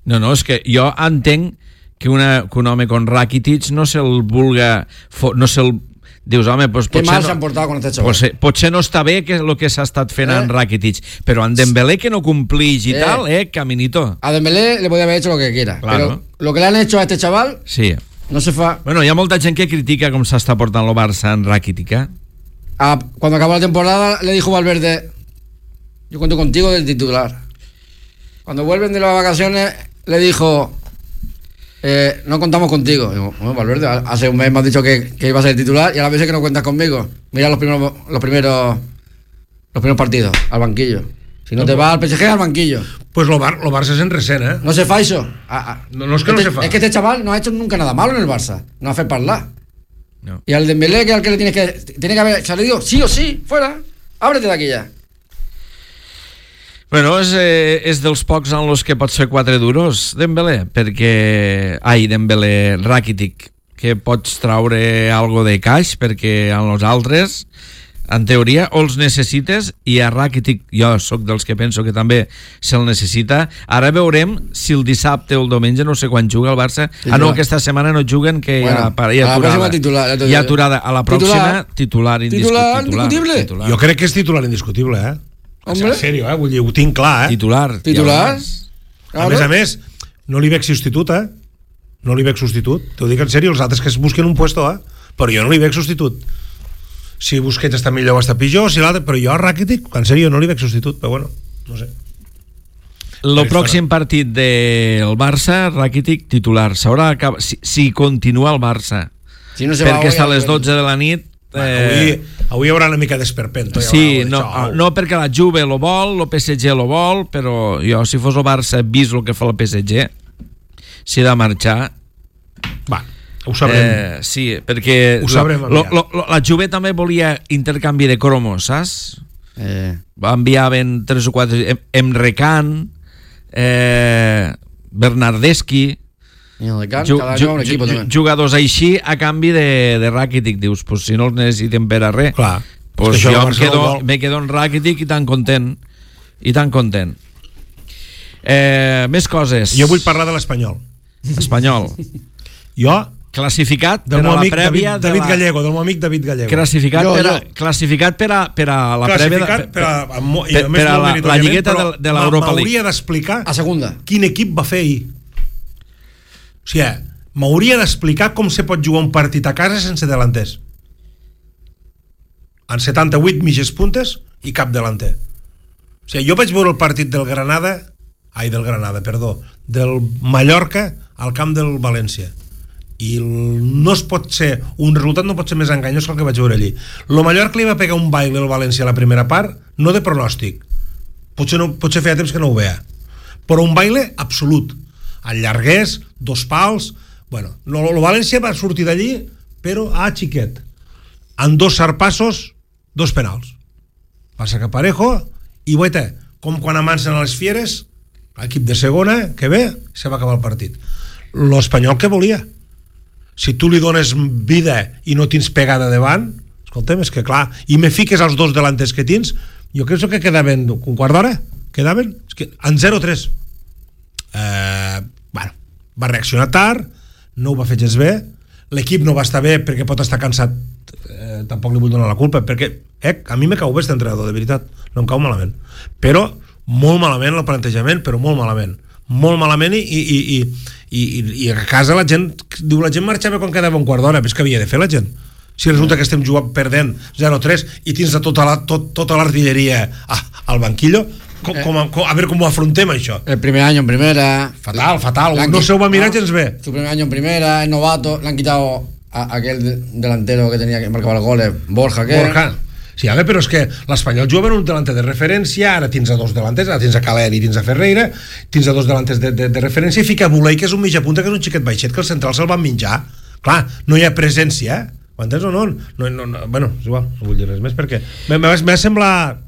No, no, és que jo entenc que, una, que un home con Rakitic no se'l vulga... Fo, no se'l... Dius, home, pues Qué potser mal no, se han portado con este chaval. potser, potser no està bé que el que s'ha estat fent Eh? en Rakitic, però en Dembélé que no complix i Eh. tal, eh, caminito. A Dembélé le podía haber hecho lo que quiera. Claro. Pero lo que le han hecho a este chaval Sí. no se fa. Bueno, hi ha molta gent que critica com s'està portant el Barça en Rakitic, eh? A- cuando acabó la temporada le dijo Valverde, yo cuento contigo del titular. Cuando vuelven de las vacaciones le dijo, eh, no contamos contigo. Digo, bueno, Valverde, hace un mes me has dicho que, que iba a ser titular y a la vez que no cuentas conmigo. Mira los primeros los primeros los primeros partidos al banquillo. Si no te vas al P S G, al banquillo. Pues lo, Bar lo Barça és en recent, eh? No se fa eso. Ah, ah. No, no és que no Este- se fa. Es que este chaval no ha hecho nunca nada malo en el Barça. No hace parlar. No. Y al Dembélé, que al que le tienes que tiene que haber salido sí o sí, fuera. Ábrete de aquí ya. Bueno, és, eh, és dels pocs en los que pot ser quatre duros, Dembélé, perquè... Ai, Dembélé, Rakitic, que pots traure algo de caix, perquè en els altres, en teoria, o els necessites, i a Rakitic, jo sóc dels que penso que també se'l necessita. Ara veurem si el dissabte o el diumenge, no sé quan juga el Barça. Titular. Ah, no, aquesta setmana no juguen, que Bueno, hi ha, hi ha a la aturada. pròxima titular, ja t'ho Hi ha dic. aturada. A la pròxima, titular, indiscu- Titular indiscutible. titular. Jo crec que és titular indiscutible, eh? Hombre. En sèrio, eh? Vull dir, ho tinc clar, eh? Titular. Titular. A més a més, no li veig substitut, eh? No li veig substitut. T'ho dic en sèrio, els altres que es busquen un puesto, eh? Però jo no li veig substitut. Si Busquets està millor o està pitjor, si l'altre... Però jo a Rakitic, en sèrio, no li veig substitut. Però bueno, no sé. El pròxim partit del Barça, Rakitic titular. S'haurà acabat, si, si continua el Barça, Si no se va perquè hoy, està a al- les dotze de la nit. Eh... Eh, Avui, avui hi haurà una mica d'esperpento. sí, no, no perquè la Juve lo vol, el P S G lo vol, però jo, si fos el Barça, vist el que fa el P S G, si he de marxar... Va, ho sabrem. Eh, sí, perquè Ho sabrem lo, aviat. lo, lo, la Juve també volia intercanvi de cromos, saps? Eh, Va enviar ben tres o quatre... Em- Emre Can, eh, Bernardeschi, I en el camp, Ju- cada ju- any un equip ju- també. jugadors així a canvi de, de Rakitic, dius, pues si no els necessiten per a res, Clar. pues És que això jo el em Barcelona quedo, vol. me quedo en Rakitic i tan content i tan content. Eh, més coses. Jo vull parlar de l'Espanyol. Espanyol. Jo, Classificat del per meu a la amic prèvia David, de David la... Gallego, del meu amic David Gallego. Classificat, Jo, per a, jo. classificat per a, per a la prèvia Classificat de, per a, amb mo- i per, a més per a molt la, la meritoriament, lligueta però de, de l'Europa League. m'hauria d'explicar A segunda. quin equip va fer ahir. O sigui, m'hauria d'explicar com se pot jugar un partit a casa sense delanters. En setanta-vuit mitges puntes i cap delanter. O sigui, jo vaig veure el partit del Granada, ai, del Granada, perdó, del Mallorca al camp del València. I el, no es pot ser, un resultat no pot ser més enganyós que el que vaig veure allí. Lo Mallorca li va pegar un baile al València a la primera part, no de pronòstic, potser, no, potser feia temps que no ho veia, però un baile absolut, allargués, dos pals, bueno, no, el València va sortir d'allí, però a xiquet, en dos sarpassos, dos penals, passa que Parejo, i guaita, com quan amancen a les fieres, l'equip de segona, que ve, se va acabar el partit. L'Espanyol què volia? Si tu li dones vida i no tens pegada davant, escolta'm, és que clar, i me fiques els dos delanters que tens, jo crec que quedaven un quart d'hora, quedaven és que en zero tres. Eh, bueno, va reaccionar tard, no ho va fer gens bé, l'equip no va estar bé perquè pot estar cansat, eh, tampoc li vull donar la culpa, perquè eh, a mi me cau bé aquest entrenador, de veritat, no em cau malament, però molt malament el plantejament, però molt malament molt malament i, i, i, i, i, i a casa la gent diu la gent marxava quan quedava un quart d'hora, però és que havia de fer la gent. Si resulta que estem jugant perdent zero tres i tens de tota, la, tot, tota l'artilleria ah, al banquillo, com, com, com, a veure com ho afrontem això. El primer año en primera. Fatal, fatal, L'han no qui- se ho va mirar no, gens bé. Su primer año en primera, es novato, le han quitado a, a aquel de- delantero que tenía que marcar los goles, Borja, que Borja. Sí, a veure, però és que l'Espanyol juga en un delanter de referència, ara tens a dos delanters, ara tens a Caler i tens a Ferreira, tens a dos delanters de, de, de referència, i fica Bulei, que és un mitja punta, que és un xiquet baixet, que el central se'l van menjar. Clar, no hi ha presència, eh? Ho entens o no? no, no, no bueno, és igual, no vull dir res més, perquè m'ha semblat...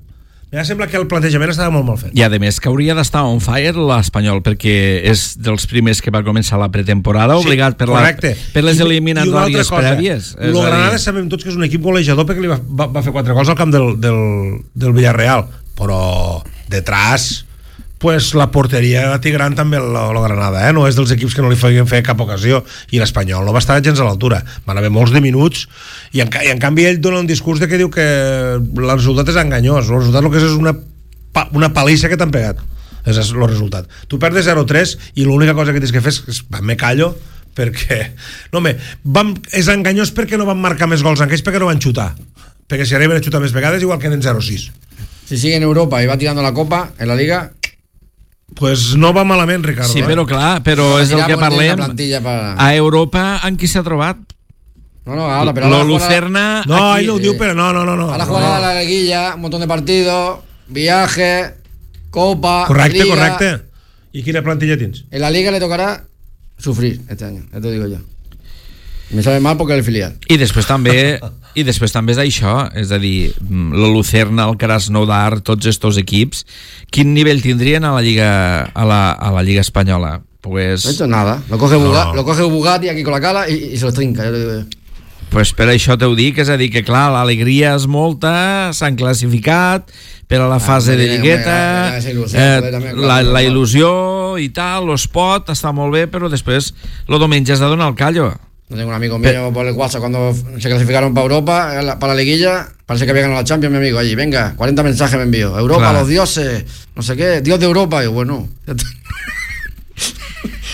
M'ha semblat que el plantejament estava molt mal fet. I a més que hauria d'estar on fire l'Espanyol, perquè és dels primers que va començar la pretemporada, Sí, obligat per, la, correcte. per les I- eliminatòries i una altra cosa, prèvies. És Lo a dir, Granada sabem tots que és un equip golejador perquè li va, va, va fer quatre gols al camp del, del, del Villarreal, però detrás pues la porteria la té gran també el, el Granada, eh? No és dels equips que no li feien fer cap ocasió, i l'Espanyol no va estar gens a l'altura, van haver molts de minuts i en, i en canvi ell dona un discurs de que diu que el resultat és enganyós, el resultat el que és és una, pa, una palissa que t'han pegat, és el resultat. Tu perdes zero tres i l'única cosa que tens que fer és, és me callo, perquè no, home, vam, és enganyós perquè no van marcar més gols en aquells, perquè no van xutar, perquè si arriben a xutar més vegades igual queden zero sis. si sigue en Europa y va tirando la copa en la liga, Pues no va malament, Ricardo. Sí, eh? però clar, però és el que Tiramos de parlem. una plantilla para... A Europa en qui s'ha trobat? No, no, ahora, pero Lo ahora jugará- Lucerna... No, aquí- ell no ho diu, però no, no, no. no. Ahora no. jugará la liguilla, un montón de partidos, viajes, copa, Correcte, liga. correcte. I quina plantilla tens? En la liga le tocará sufrir este año, ya te lo digo yo. Me sabe mal porque es el filial. I després també i després també és això, és a dir, la Lucerna, el Krasnodar, tots estos equips, quin nivell tindrien a la Lliga a la, a la Lliga Espanyola? Pues, No ha hecho nada. Lo coge, No. Buga- lo coge Bugatti aquí con la cala y, y se lo trinca, ya te digo yo. pues per això t'ho dic, és a dir, que clar, l'alegria és molta, s'han classificat per a la fase de hombre, lligueta, hombre, esa il·lusió, eh, també, clar, la, clar, la clar. il·lusió i tal, lo spot, està molt bé, però després lo diumenge has de donar el callo. No tengo un amigo mío por el WhatsApp cuando se clasificaron para Europa, eh, la- para la liguilla, parece que había ganado la Champions, mi amigo, allí, venga, cuarenta mensajes me envió, Europa, Claro. los dioses, no sé qué, Dios de Europa, y yo, bueno, ya está.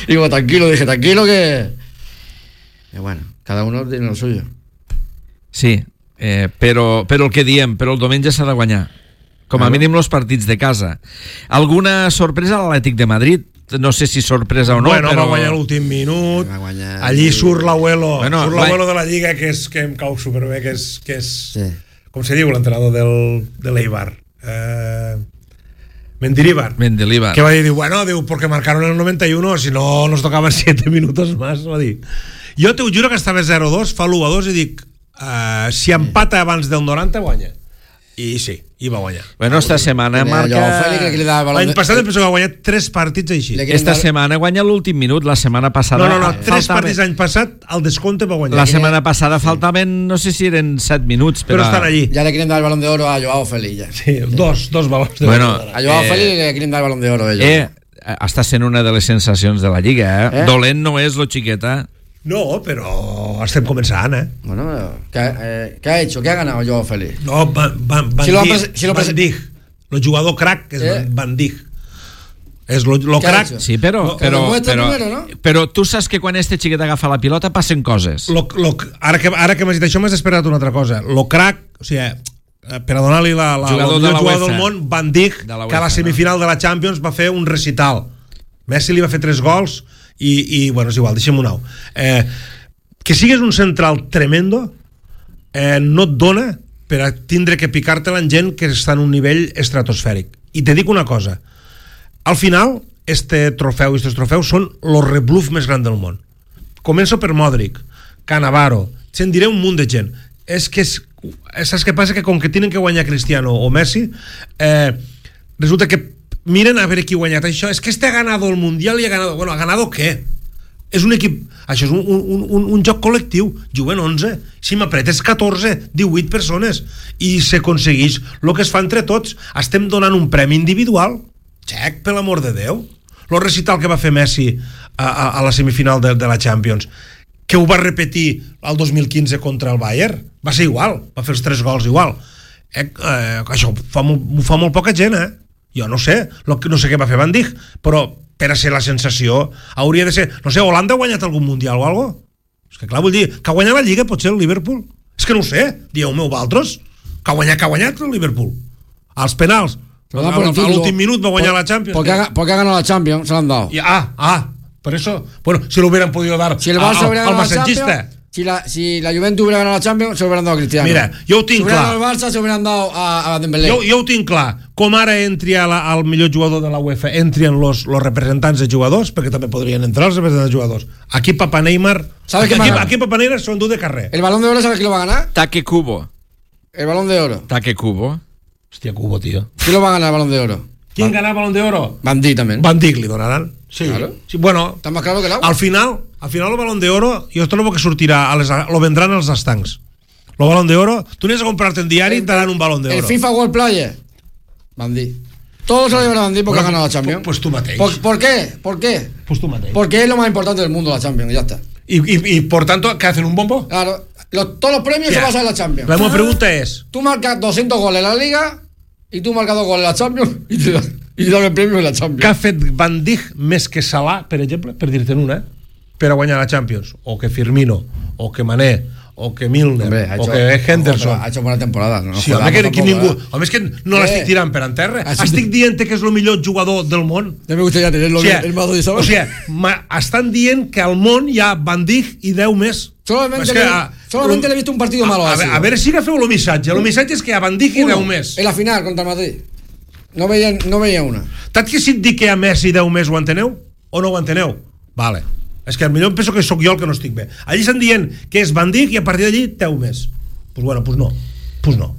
Digo, tranquilo, dije, tranquilo que... Y bueno, cada uno tiene lo suyo. Sí, eh, però, però el que diem, però el diumenge s'ha de guanyar. Com a Claro. mínim els partits de casa. Alguna sorpresa a l'Atlètic de Madrid? No sé si sorpresa o no, bueno, però... va guanyar l'últim minut. Va guanyar. Allí surt l'Abuelo, Bueno, surt va- l'Abuelo de la Lliga, que, és, que em cau superbé, que és, que és Sí. com se diu l'entrenador del, de l'Eibar? Eh, Mendilibar. Mendilibar. Que va dir, bueno, diu, porque marcaron en el noventa y uno, si no nos tocaban siete minutos más, va dir. Jo t'ho juro que estava zero dos, fa l'u a dos i dic, uh, si empata abans del noranta, guanya. I sí, i va guanyar. Bueno, esta setmana marca... L'any passat em penso que va guanyar tres partits així. Esta setmana guanya l'últim minut, la setmana passada... No, no, no, tres partits l'any passat, al descompte va guanyar. La setmana passada faltaven, no sé si eren set minuts, però estan allí. Ja le quieren dar el Balón de Oro a Joao Félix. Sí, dos, dos balons de bueno, oro. A Joao eh, Félix le quieren dar el Balón de Oro. Eh, està sent una de les sensacions de la Lliga, eh? eh? Dolent no és lo xiqueta. No, però estem començant, eh? Bueno, ¿qué, eh, ¿qué ha hecho? ¿Qué ha ganado Joao Félix? No, Van, Van, Van, si Dijk, si Van Dijk. El jugador crack és eh? Van Dijk. És lo, lo crack. Sí, però, però, però, primero, ¿no? però tu saps que quan este xiquet agafa la pilota passen coses. Lo, lo, ara que, ara que m'has dit això m'has esperat una altra cosa. Lo crack, o sigui, per a donar-li la, la, jugador, de la jugador del món, Van Dijk, de que a la semifinal no? de la Champions va fer un recital. Messi li va fer tres gols i, i bueno, és igual, deixem un au. Eh, que sigues un central tremendo eh, no et dona per a tindre que picar-te-la en gent que està en un nivell estratosfèric. I te dic una cosa, al final este trofeu i estos trofeus són el rebluff més gran del món. Començo per Modric, Cannavaro, se'n diré un munt de gent. És que és, saps què passa? Que com que tenen que guanyar Cristiano o Messi, eh, resulta que miren a veure qui ha guanyat això. És que este ha ganado el Mundial i ha ganado... Bueno, ¿ha ganado què? És un equip... Això és un, un, un, un joc col·lectiu. Juguen onze. Si m'apretes catorze, divuit persones. I s'aconsegueix el que es fa entre tots. Estem donant un premi individual. Xec, per l'amor de Déu. El recital que va fer Messi a, a, a la semifinal de, de la Champions, que ho va repetir el dos mil quinze contra el Bayern, va ser igual. Va fer els tres gols igual. Eh, eh, això ho fa, ho fa molt poca gent, eh? Jo no sé, no sé què va fer Van Dijk, però per a ser la sensació hauria de ser, no sé, Holanda ha guanyat algun mundial o alguna cosa? És que clar, vull dir, que ha guanyat la Lliga potser el Liverpool? És que no ho sé, dieu-me vosaltres, que ha guanyat, que ha guanyat el Liverpool als penals, a, a, a l'últim minut va guanyar por, la Champions. Porque ha, porque ha ganado la Champions, se l'han dado. Y, ah, ah, por eso, bueno, si lo hubieran podido dar si el al, al masajista. Si la, si la Juventus hubiera ganado la Champions, se lo hubieran dado a Cristiano. Mira, jo ho tinc si clar. Si hubiera ganado el Barça, se hubieran dado a, a Dembélé. Jo, jo ho tinc clar. Com ara entri a la, al millor jugador de la UEFA, entrien los, los representants de jugadors, perquè també podrien entrar els representants de jugadors. Aquí Papa Neymar... ¿Sabes aquí, qué aquí, aquí Papa Neymar s'ho endú de carrer. El Balón de Oro, ¿sabes quién lo va a ganar? Taque Kubo. El Balón de Oro. Taque Kubo. Hòstia, Kubo, tío. ¿Quién lo va a ganar el Balón de Oro? ¿Quién gana el Balón de Oro? Van Dijk también. Van Dijk li donaran. Sí. Claro. Sí, bueno, está más claro que el agua. Al final, al final el Balón de Oro, jo esto no que sortirà, a les, lo vendran als estancs. El Balón de Oro, tu anies a comprarte en diari y te dan un Balón de Oro. El FIFA World Player, Van Dijk. Todos se lo llevan a Van Dijk porque bueno, ha ganado la Champions. Pues tú mateix. ¿Por, ¿Por qué? ¿Por qué? Pues tú mateix. Porque es lo más importante del mundo la Champions, y ya está. Y, y, y por tanto, ¿qué hacen? ¿Un bombo? Claro. Los, todos los premios yeah. se basan en la Champions. La misma pregunta es... Tú marcas doscientos goles en la Liga y tú marcas dos goles en la Champions y te dan, y te dan el premio en la Champions. Què ha fet Van Dijk més que Salah, per exemple, per dir-te'n una, per a guanyar la Champions? O que Firmino, o que Mané, o que Milner, hombre, o hecho, que Henderson. Ojo, ha hecho buena temporada. No sí, home, que, que ningú... Eh? Home, és que no l'estic tirant per en terra. Así estic dient que és el millor jugador del món. Ja me gustaría tenerlo o sea, el Madrid, ¿sabes? O sea, estan dient que al món hi ha Van Dijk i deu més. Solamente, que, le, a, solamente le he visto un partido a, malo. A, así, a, a veure si agafeu el missatge. El missatge és que hi ha Van Dijk i deu més. En la final contra el Madrid. No veia, no veia una. Tant que si et dic que hi ha Messi deu més, ho enteneu? O no ho enteneu? Vale. És que potser penso que sóc jo el que no estic bé. Allí estan dient que és Van Dijk i a partir d'allí deu més. Pues bueno, pues no. Pues no.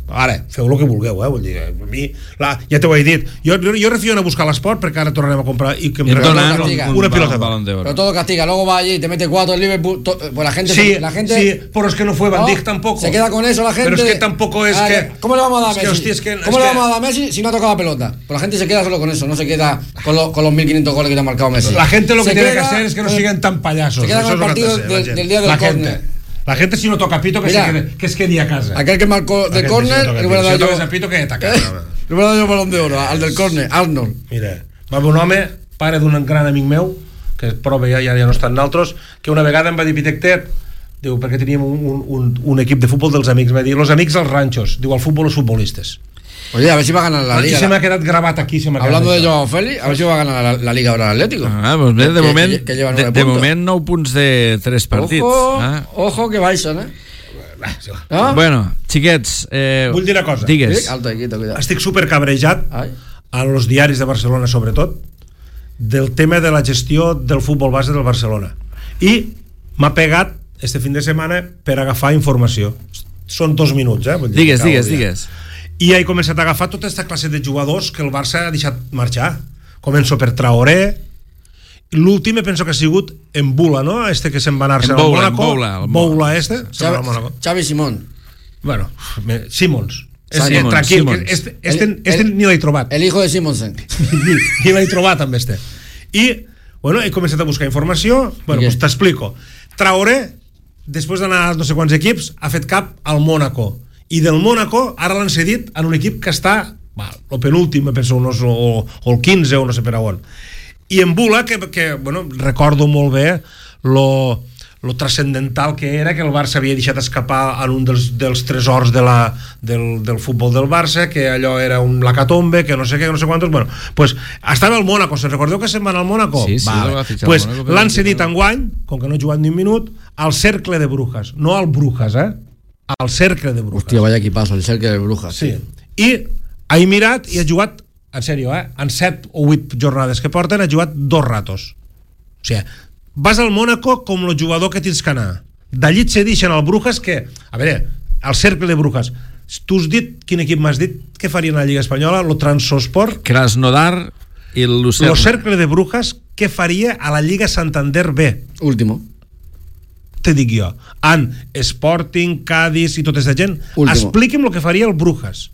Ara, feu el que vulgueu, eh? Vull dir, a mi, la, ja t'ho he dit. Jo, jo, jo refio a buscar l'esport perquè ara tornarem a comprar i que em regalen una, una pilota. Pero todo castiga. Luego va allí y te mete cuatro en Liverpool. To, pues la gente, sí, la gente, sí, pero es que no fue Van Dijk no, tampoco. Se queda con eso la gente. Pero es que tampoco es ah, que. ¿Cómo le vamos a dar a Messi? Es que, hostia, es que, ¿Cómo es le que, vamos a dar a Messi si no ha tocado la pelota? Pues la gente se queda solo con eso, no se queda con, lo, con los mil quinientos goles que te ha marcado Messi. La gente lo se que tiene que hacer es que no sigan tan payasos. Se queda con el partido del, del día del córner. La gente si no toca pito que, Mira, se quede, que es quedi a casa. Aquel que marcó de córner, si le hubiera dado yo... Si no pito que a casa. Le hubiera dado yo el Balón de Oro, al del córner, Arnold. Mira, va haver un home, pare d'un gran amic meu, que prova ja, ja no estan naltros, que una vegada em va dir, Pitectet, diu, perquè teníem un, un, un equip de futbol dels amics, va dir, los amics als ranchos, diu, al futbol los futbolistes. Oye, a ver si va a ganar la aquí Liga. Se me ha quedado grabado aquí. Se me ha Hablando quedado de Joao Félix, a ver si va a ganar la, la Liga ahora el Atlético. Ah, pues bé, de, que, moment, que, que lleva de, de moment nou punts de tres partits. Ojo, ah. ojo que baixen, eh? ¿No? Bueno, xiquets, eh, vull dir una cosa. Digues. Alto, quito, estic super cabrejat a los diaris de Barcelona, sobretot, del tema de la gestió del futbol base del Barcelona. I m'ha pegat este fin de setmana per agafar informació. Són dos minuts, eh? Vull dir, digues, digues, digues. i he començat a agafar tota aquesta classe de jugadors que el Barça ha deixat marxar. Començo per Traoré, l'últim penso que ha sigut en Bula, no? Este que se'n va anar-se al Mónaco. Boula, este. Xavi Simón. Bueno, Simons. Simons, tranquil, Simons. este, este, el, este el, ni l'he trobat. El hijo de Simonsen. ni ni l'he trobat amb este. I, bueno, he començat a buscar informació. Bueno, pues t'explico. Traoré, després d'anar a no sé quants equips, ha fet cap al Mónaco. I del Mónaco ara l'han cedit en un equip que està, va, el penúltim, penso, no, o, o el quinze o no sé per a on. I en Bula, que, que bueno, recordo molt bé lo, lo transcendental que era, que el Barça havia deixat escapar en un dels, dels tresors de la, del, del futbol del Barça, que allò era un lacatombe, que no sé què, que no sé quantos. Bueno, pues estava al Mónaco. ¿Se recordeu que se'n van al Mónaco? Sí, sí, vale. Pues l'han cedit enguany, com que no ha jugat ni un minut, al Cercle de Brujas. No al Brujas, eh? Al Cercle de Brujas. Hòstia, vaya equipazo, el Cercle de Brujas. Sí. I ha mirat i ha jugat, en sèrio, eh? En set o vuit jornades que porten ha jugat dos ratos. O sigui, vas al Mónaco com el jugador que tens que anar. D'allí et cedixen al Brujas, que, a veure, al Cercle de Brujas, tu has dit, quin equip m'has dit que farien a la Lliga Espanyola? Lo Transosport. Krasnodar i el Lucerna. Lo Cercle de Brujas, què faria a la Lliga Santander B? Último. Te dic jo. En Sporting, Cádiz i tota aquesta gent, último. Expliqui'm el que faria el Brujas,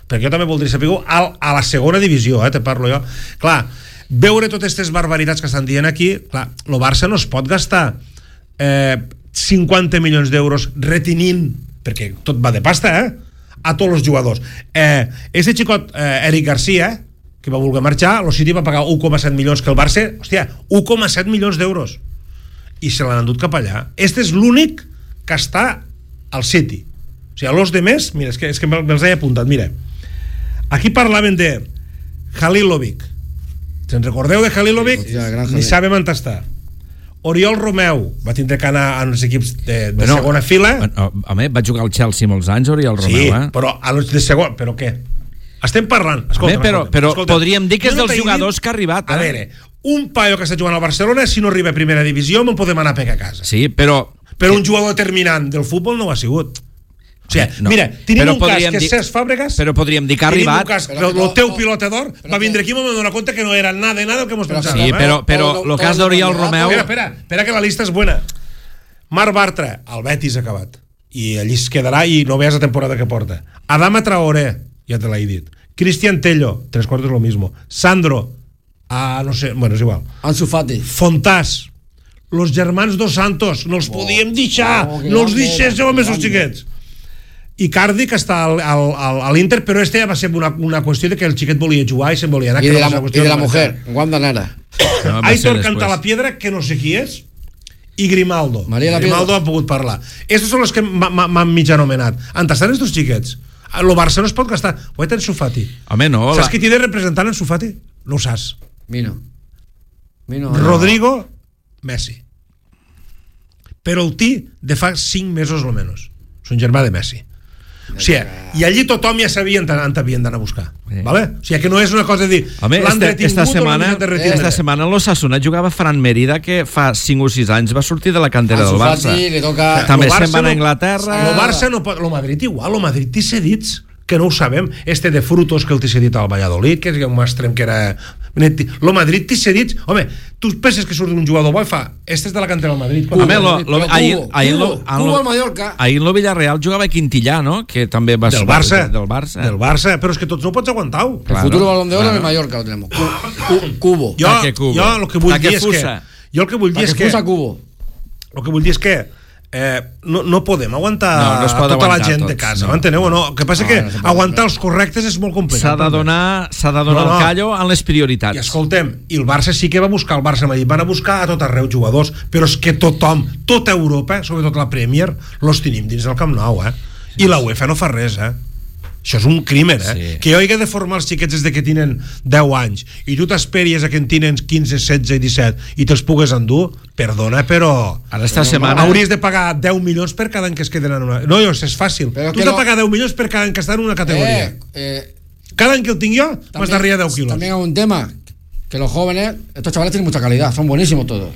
perquè jo també voldria saber a, a la segona divisió, eh, te parlo jo. Clar, veure totes aquestes barbaritats que estan dient aquí, clar, el Barça no es pot gastar eh, cinquanta milions d'euros retenint, perquè tot va de pasta, eh, a tots els jugadors. Eh, este xicot, eh, Eric Garcia, que va voler marxar, el City va pagar un coma set milions, que el Barça, hòstia, un coma set milions d'euros, i se l'han endut cap allà. Este és l'únic que està al City. O sigui, els de més, mira, és que, és que me'ls he apuntat, mira. Aquí parlaven de Halilovic. Se'n recordeu de Halilovic? Sí, ni sabem on està. Oriol Romeu va tindre que anar a uns equips de, de bueno, segona fila. Home, va jugar al Chelsea molts anys, Oriol Romeu, sí, eh? Però a los de segon... Però què? Estem parlant... Escolta'm, home, però, escolta'm, però escolta'm. podríem dir que és no dels jugadors dit, que ha arribat, eh? A veure, un paio que està jugant al Barcelona, si no arriba a primera divisió, me'n podem anar a pegar a casa. Sí, però... Però un jugador determinant del futbol no ho ha sigut. O sigui, no. Mira, tenim un cas que és Cesc Fàbregas, però podríem dir que ha arribat. Cas, però, el teu pilota d'or va vindre aquí i m'ho donar compte que no era nada de nada el que mos pensàvem. Sí, però, però el cas d'Oriol Romeu... Espera, espera, espera que la lista és buena. Marc Bartra, el Betis ha acabat. I allí es quedarà i no veus la temporada que porta. Adama Traoré, ja te l'he dit. Cristian Tello, tres quartos lo mismo. Sandro, ah, no sé, bueno, és igual. Ansu Fati. Fontàs, los germans dos Santos, no els oh, podíem deixar, oh, no els deixéssiu amb els xiquets. Icardi, que està al, al, al, a l'Inter, però este ja va ser una, una qüestió de que el xiquet volia jugar i se'n volia anar. I de la, i de la mujer, Wanda Nara. No, Aitor Cantalapiedra, que no sé qui és, i Grimaldo. Maria Grimaldo ha pogut parlar. Estos són els que m'han mig anomenat. On estan estos xiquets? El Barça no es pot gastar. Ho he Ansu Fati. Home, no. Saps la... qui t'hi de representant Ansu Fati? No ho saps. Mino. Mino. Rodrigo no. Messi. Però el tí de fa cinc mesos o menys. És un germà de Messi. O sigui, i allí tothom ja sabia on havien d'anar a buscar, sí. Vale? O sigui que no és una cosa de dir home, l'han este, esta setmana, esta setmana en l'Osasuna jugava Fran Merida, que fa cinc o sis anys va sortir de la cantera del Barça. Li toca... També se'n va a Anglaterra. El Barça no pot... El Madrid igual, el Madrid té cedits que no ho sabem. Este de Frutos, que el té cedit al Valladolid, que és un extrem que era... El Madrid té cedits... Home, tu penses que surt un jugador bo i fa... Este és de la cantera del Madrid. Home, lo, lo, ahir, ahir, Cubo, Cubo al Mallorca. Ahir el Villarreal jugava Quintillà, no? Que també va del Barça, del Barça. Del Barça, però és que tots no ho pots aguantar. El claro, futuro balón de oro claro. En Mallorca lo tenemos. Cubo. Jo, jo el que vull dir és que... Jo el que vull dir és que... Cubo. El que vull dir és que Eh, no, no podem aguantar no, no tota la gent tots, de casa, no. M'enteneu o no? El que passa no, que no aguantar els correctes és molt complicat. S'ha de donar, s'ha de donar no, no. el callo en les prioritats. I escoltem, i el Barça sí que va buscar, el Barça Madrid van a buscar a tot arreu jugadors, però és que tothom, tota Europa, sobretot la Premier, los tenim dins del Camp Nou, eh? I la UEFA no fa res, eh? Això és un crimen, eh? Sí. Que jo he de formar els xiquets des de que tenen deu anys i tu t'esperies a que en tenen quinze, setze i disset i te'ls pugues endur, perdona, però... Ara esta setmana... Hauries de pagar deu milions per cada any que es queden en una... No, jo, és fàcil. Però tu has de pagar deu milions per cada any que estan en una categoria. Eh, eh, cada any que el tinc jo, m'has d'arribar deu quilos. También hay un tema, que los jóvenes, estos chavales tienen mucha calidad, son buenísimos todos.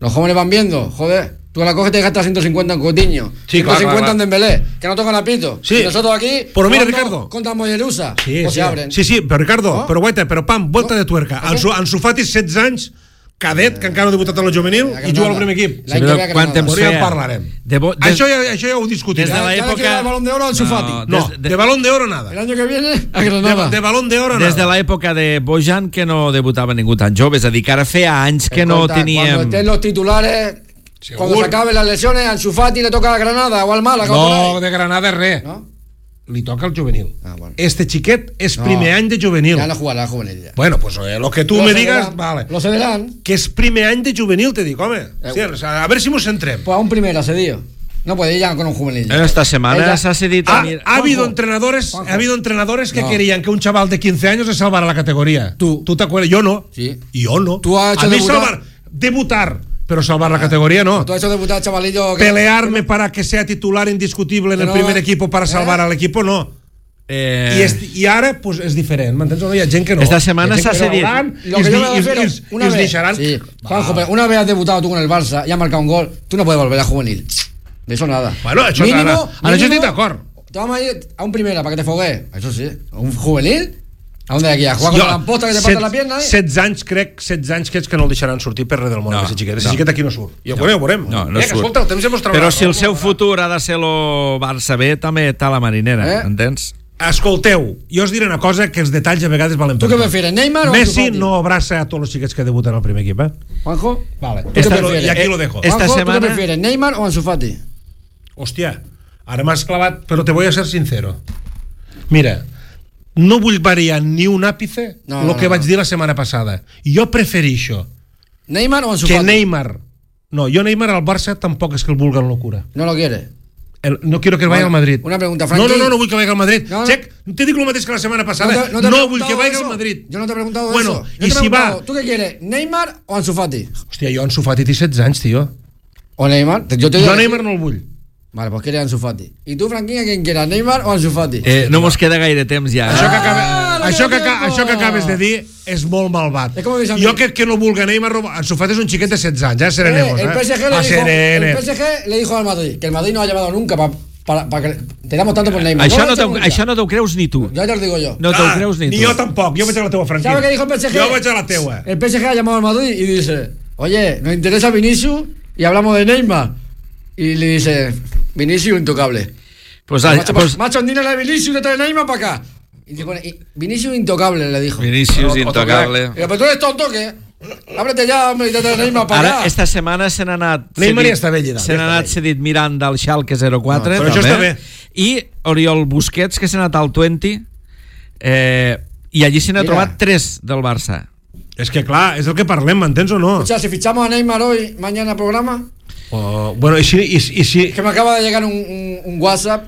Los jóvenes van viendo, joder... Tú la coges y te gastas ciento cincuenta en Coutinho, Sí, ciento cincuenta claro, claro. en Dembélé, que no tocan a pito. Sí. Y nosotros aquí, Pero mira, jugando Ricardo. contra Mollerusa, Sí, pues sí. se abren. sí, sí, però Ricardo, No? però guaita, però pam, volta No? de tuerca. Per Ansu, què? Ansu Fati, setze anys, cadet, que encara no ha debutat a la juvenil, A i juga al Granada. primer equip. L'any que ve a Granada. Quant temps Però ja en feia? parlarem. De bo, des, Això, ja, això ja ho discutirem. des de Ya- ya le l'època... queda el Balón de Oro a Ansu Fati. No, des, de balón de oro nada. El año que viene a De, Granada. de balón de oro nada. des de l'època de Bojan, que no debutava ningú tan jove, és a dir, que ara feia anys que no Escolta, Cuando teníem... estén los titulares, Segur. cuando se acaben las lesiones, a Ansu Fati le toca a Granada o al Málaga. o por No, ahí. de Granada res. ¿No? Li toca al juvenil. Ah, bueno. Este xiquet és No. primer any de juvenil. Ya no jugará la juvenil ya. Bueno, pues eh, lo que tu Lo me cederán, digas, vale. Lo cederán. Que és primer any de juvenil, te dic, home. Eh, Sí, o sea, a ver si mos centrem. Pues a un primera cedido. No puede ir ya con un juvenil. ya. Esta setmana Ella- s'ha cedit Ha, a mi... ha habido Juanjo, entrenadores, Juanjo. ha habido entrenadores que No. querían que un chaval de quince años se salvara la categoría. Tú. ¿Tú te acuerdas? Yo no. Sí. Yo no. Tú has hecho a mí debutar- salvar, debutar, pero salvar la categoría no. Tú has hecho debutar, chavalillo. que- Pelearme para que sea titular indiscutible en Que el no- primer equipo para salvar ¿Eh? al equipo, no. Eh, I, és, I ara pues, és diferent, m'entens o no? Hi ha gent que no. Esta setmana Hi ha gent s'ha que cedit. veuran Lo i que es yo di- me i es- refiero, i es- una i es vez, deixaran. sí, Va. Juanjo, pero una vez has debutado tú con el Barça y has marcado un gol, tú no puedes volver a juvenil. De eso nada. Bueno, això Mínimo- ara, ara jo mínimo, estic d'acord. Te vamos a ir a un primera para que te fogues. Eso sí. ¿A un juvenil? ¿A dónde de aquí? ¿A jugar Jo, con la lamposta que te set- parta la pierna? Eh? setze anys, crec, setze anys que ets que no el deixaran sortir per res del món, No, aquest xiquet. Aquest no. xiquet aquí no surt. I no, bueno, ja ho veurem. No, no eh, que, surt. escolta, el temps ja mos traurà. Però si el no? seu futur ha de ser lo Barça B, també està la marinera, Eh? entens? Escolteu, jo us diré una cosa, que els detalls a vegades valen ¿Tú per qué tot. prefieres, Neymar o Ansu Messi Fati? no abraça a tots els xiquets que debuten al primer equip, eh? Juanjo, Vale. ¿tú qué Esta- prefieres? y aquí Eh, lo dejo. Esta Juanjo, ¿tú semana- qué prefieres, Neymar o Ansu Fati? Hòstia, ara m'has clavat, però te voy a ser sincero. Mira, no vull variar ni un àpice No, el no, que no, vaig no. dir la setmana passada. Jo preferixo ¿Neymar o Ansu que Fati? Neymar... No, jo Neymar al Barça tampoc és que el vulguen locura. No lo quiere. El, no quiero que vaya Bueno, al Madrid. una pregunta, No, Frankie. no, no, no vull que vaya al Madrid. No, no. Check, te dic el mateix que la setmana passada. No, te- no te he no vull que preguntado vaya eso. al Madrid. Yo no te he preguntado Bueno, eso. Yo i te he si preguntado, va... ¿tú qué quieres, Neymar o Ansu Fati? Hòstia, jo Ansu Fati té setze anys, tio. ¿O Neymar? Yo te Jo digo- Neymar no el vull. Vale, pues quieres Ansu Fati. ¿Y tú, Franquín, a quién quieras, Neymar o Ansu Fati? Eh, no mos queda gaire temps ja. Això que, Ah, acaba, no això, que, queda aca- tiempo. això que acabes de dir és molt malvat. És com dius a mi. Jo crec que no vulga Neymar, Ansu Fati és un xiquet de setze anys, ja serenemos, Eh, eh? el P S G A le dijo, el serenes. P S G le dijo al Madrid que el Madrid no ha llevado nunca para pa, pa que te damos tanto por Neymar. Això lo no, ha te, hecho nunca. això no t'ho creus ni tu. Ya te lo digo yo. No te'l Ah, creus ni tu. ni jo tampoc, jo vaig a la teua franquia. ¿Sabes qué dijo el P S G? Jo vaig a la teua. El P S G ha llamado al Madrid y dice, oye, nos interesa Vinicius y hablamos de Neymar. Y le dice, Vinicius intocable. Pues, macho, pues, macho, dile a Vinicius de traer Neymar para acá. Y dice, bueno, y Vinicius intocable, le dijo. Vinicius Otro intocable. Digo, pero tú eres tonto, ¿qué? Ábrete ya, hombre, y te trae Neymar para Ara, acá. esta setmana se n'ha anat... Neymar cedit- ja està bé, Llidat, Se ja n'ha està anat bé. cedit Miranda al Schalke zero quatre, No, però això també. està bé. I Oriol Busquets, que s'ha anat al vint, eh, i allí se n'ha Mira. trobat tres del Barça. És que clar, és el que parlem, m'entens o no? O sea, si fichamos a Neymar hoy, mañana programa, O, bueno, i si, i, i si, que me acaba de llegar un, un, un WhatsApp,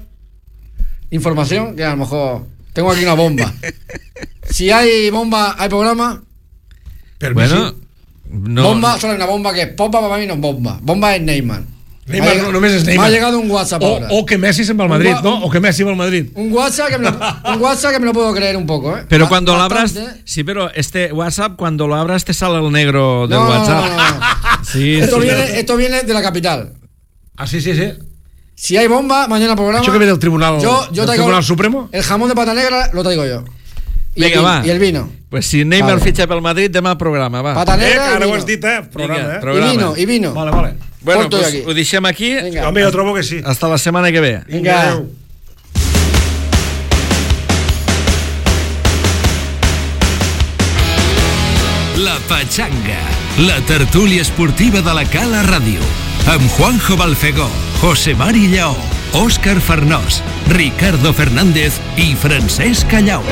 información, que a lo mejor tengo aquí una bomba. Si hay bomba, hay programa. per Bueno, mi no, Bomba, solo hay una bomba que es bomba, para mí no es bomba. Bomba es Neymar. Neymar Me ha llegado- no, només és Neymar. Me ha llegado un WhatsApp o, ahora. o que Messi se'n va al Un Madrid, gua- no? O que Messi va al Madrid. Un WhatsApp que me lo, un WhatsApp que me lo puedo creer un poco, ¿eh? Pero Ba- cuando lo abras, bastante. sí, pero este WhatsApp, cuando lo abras, te sale el negro del No, no, WhatsApp. no, no, no. Sí, Esto, sí. viene, esto viene de la capital. Ah, sí, sí, sí. Si hay bomba, mañana programa. Això que ve del Tribunal, yo, yo del traigo Tribunal Supremo? El jamón de pata negra lo traigo yo. Y, Vinga, el, va. y el vino. Pues si Neymar Vale. fitxa pel Madrid, demà programa, va. Pata Eh, negra que y ara ho vino. has dit, eh? Programa, Vinga, eh? programa. Y vino, y vino. Vale, vale. Bueno, Porto pues aquí. ho deixem aquí. Vinga. Home, jo trobo que sí. Hasta la setmana que ve. Vinga. Adéu. La Pachanga, la tertúlia esportiva de la Cala Ràdio, amb Juanjo Balfegó, José Mari Lleó, Òscar Farnós, Ricardo Fernández i Francesc Callau.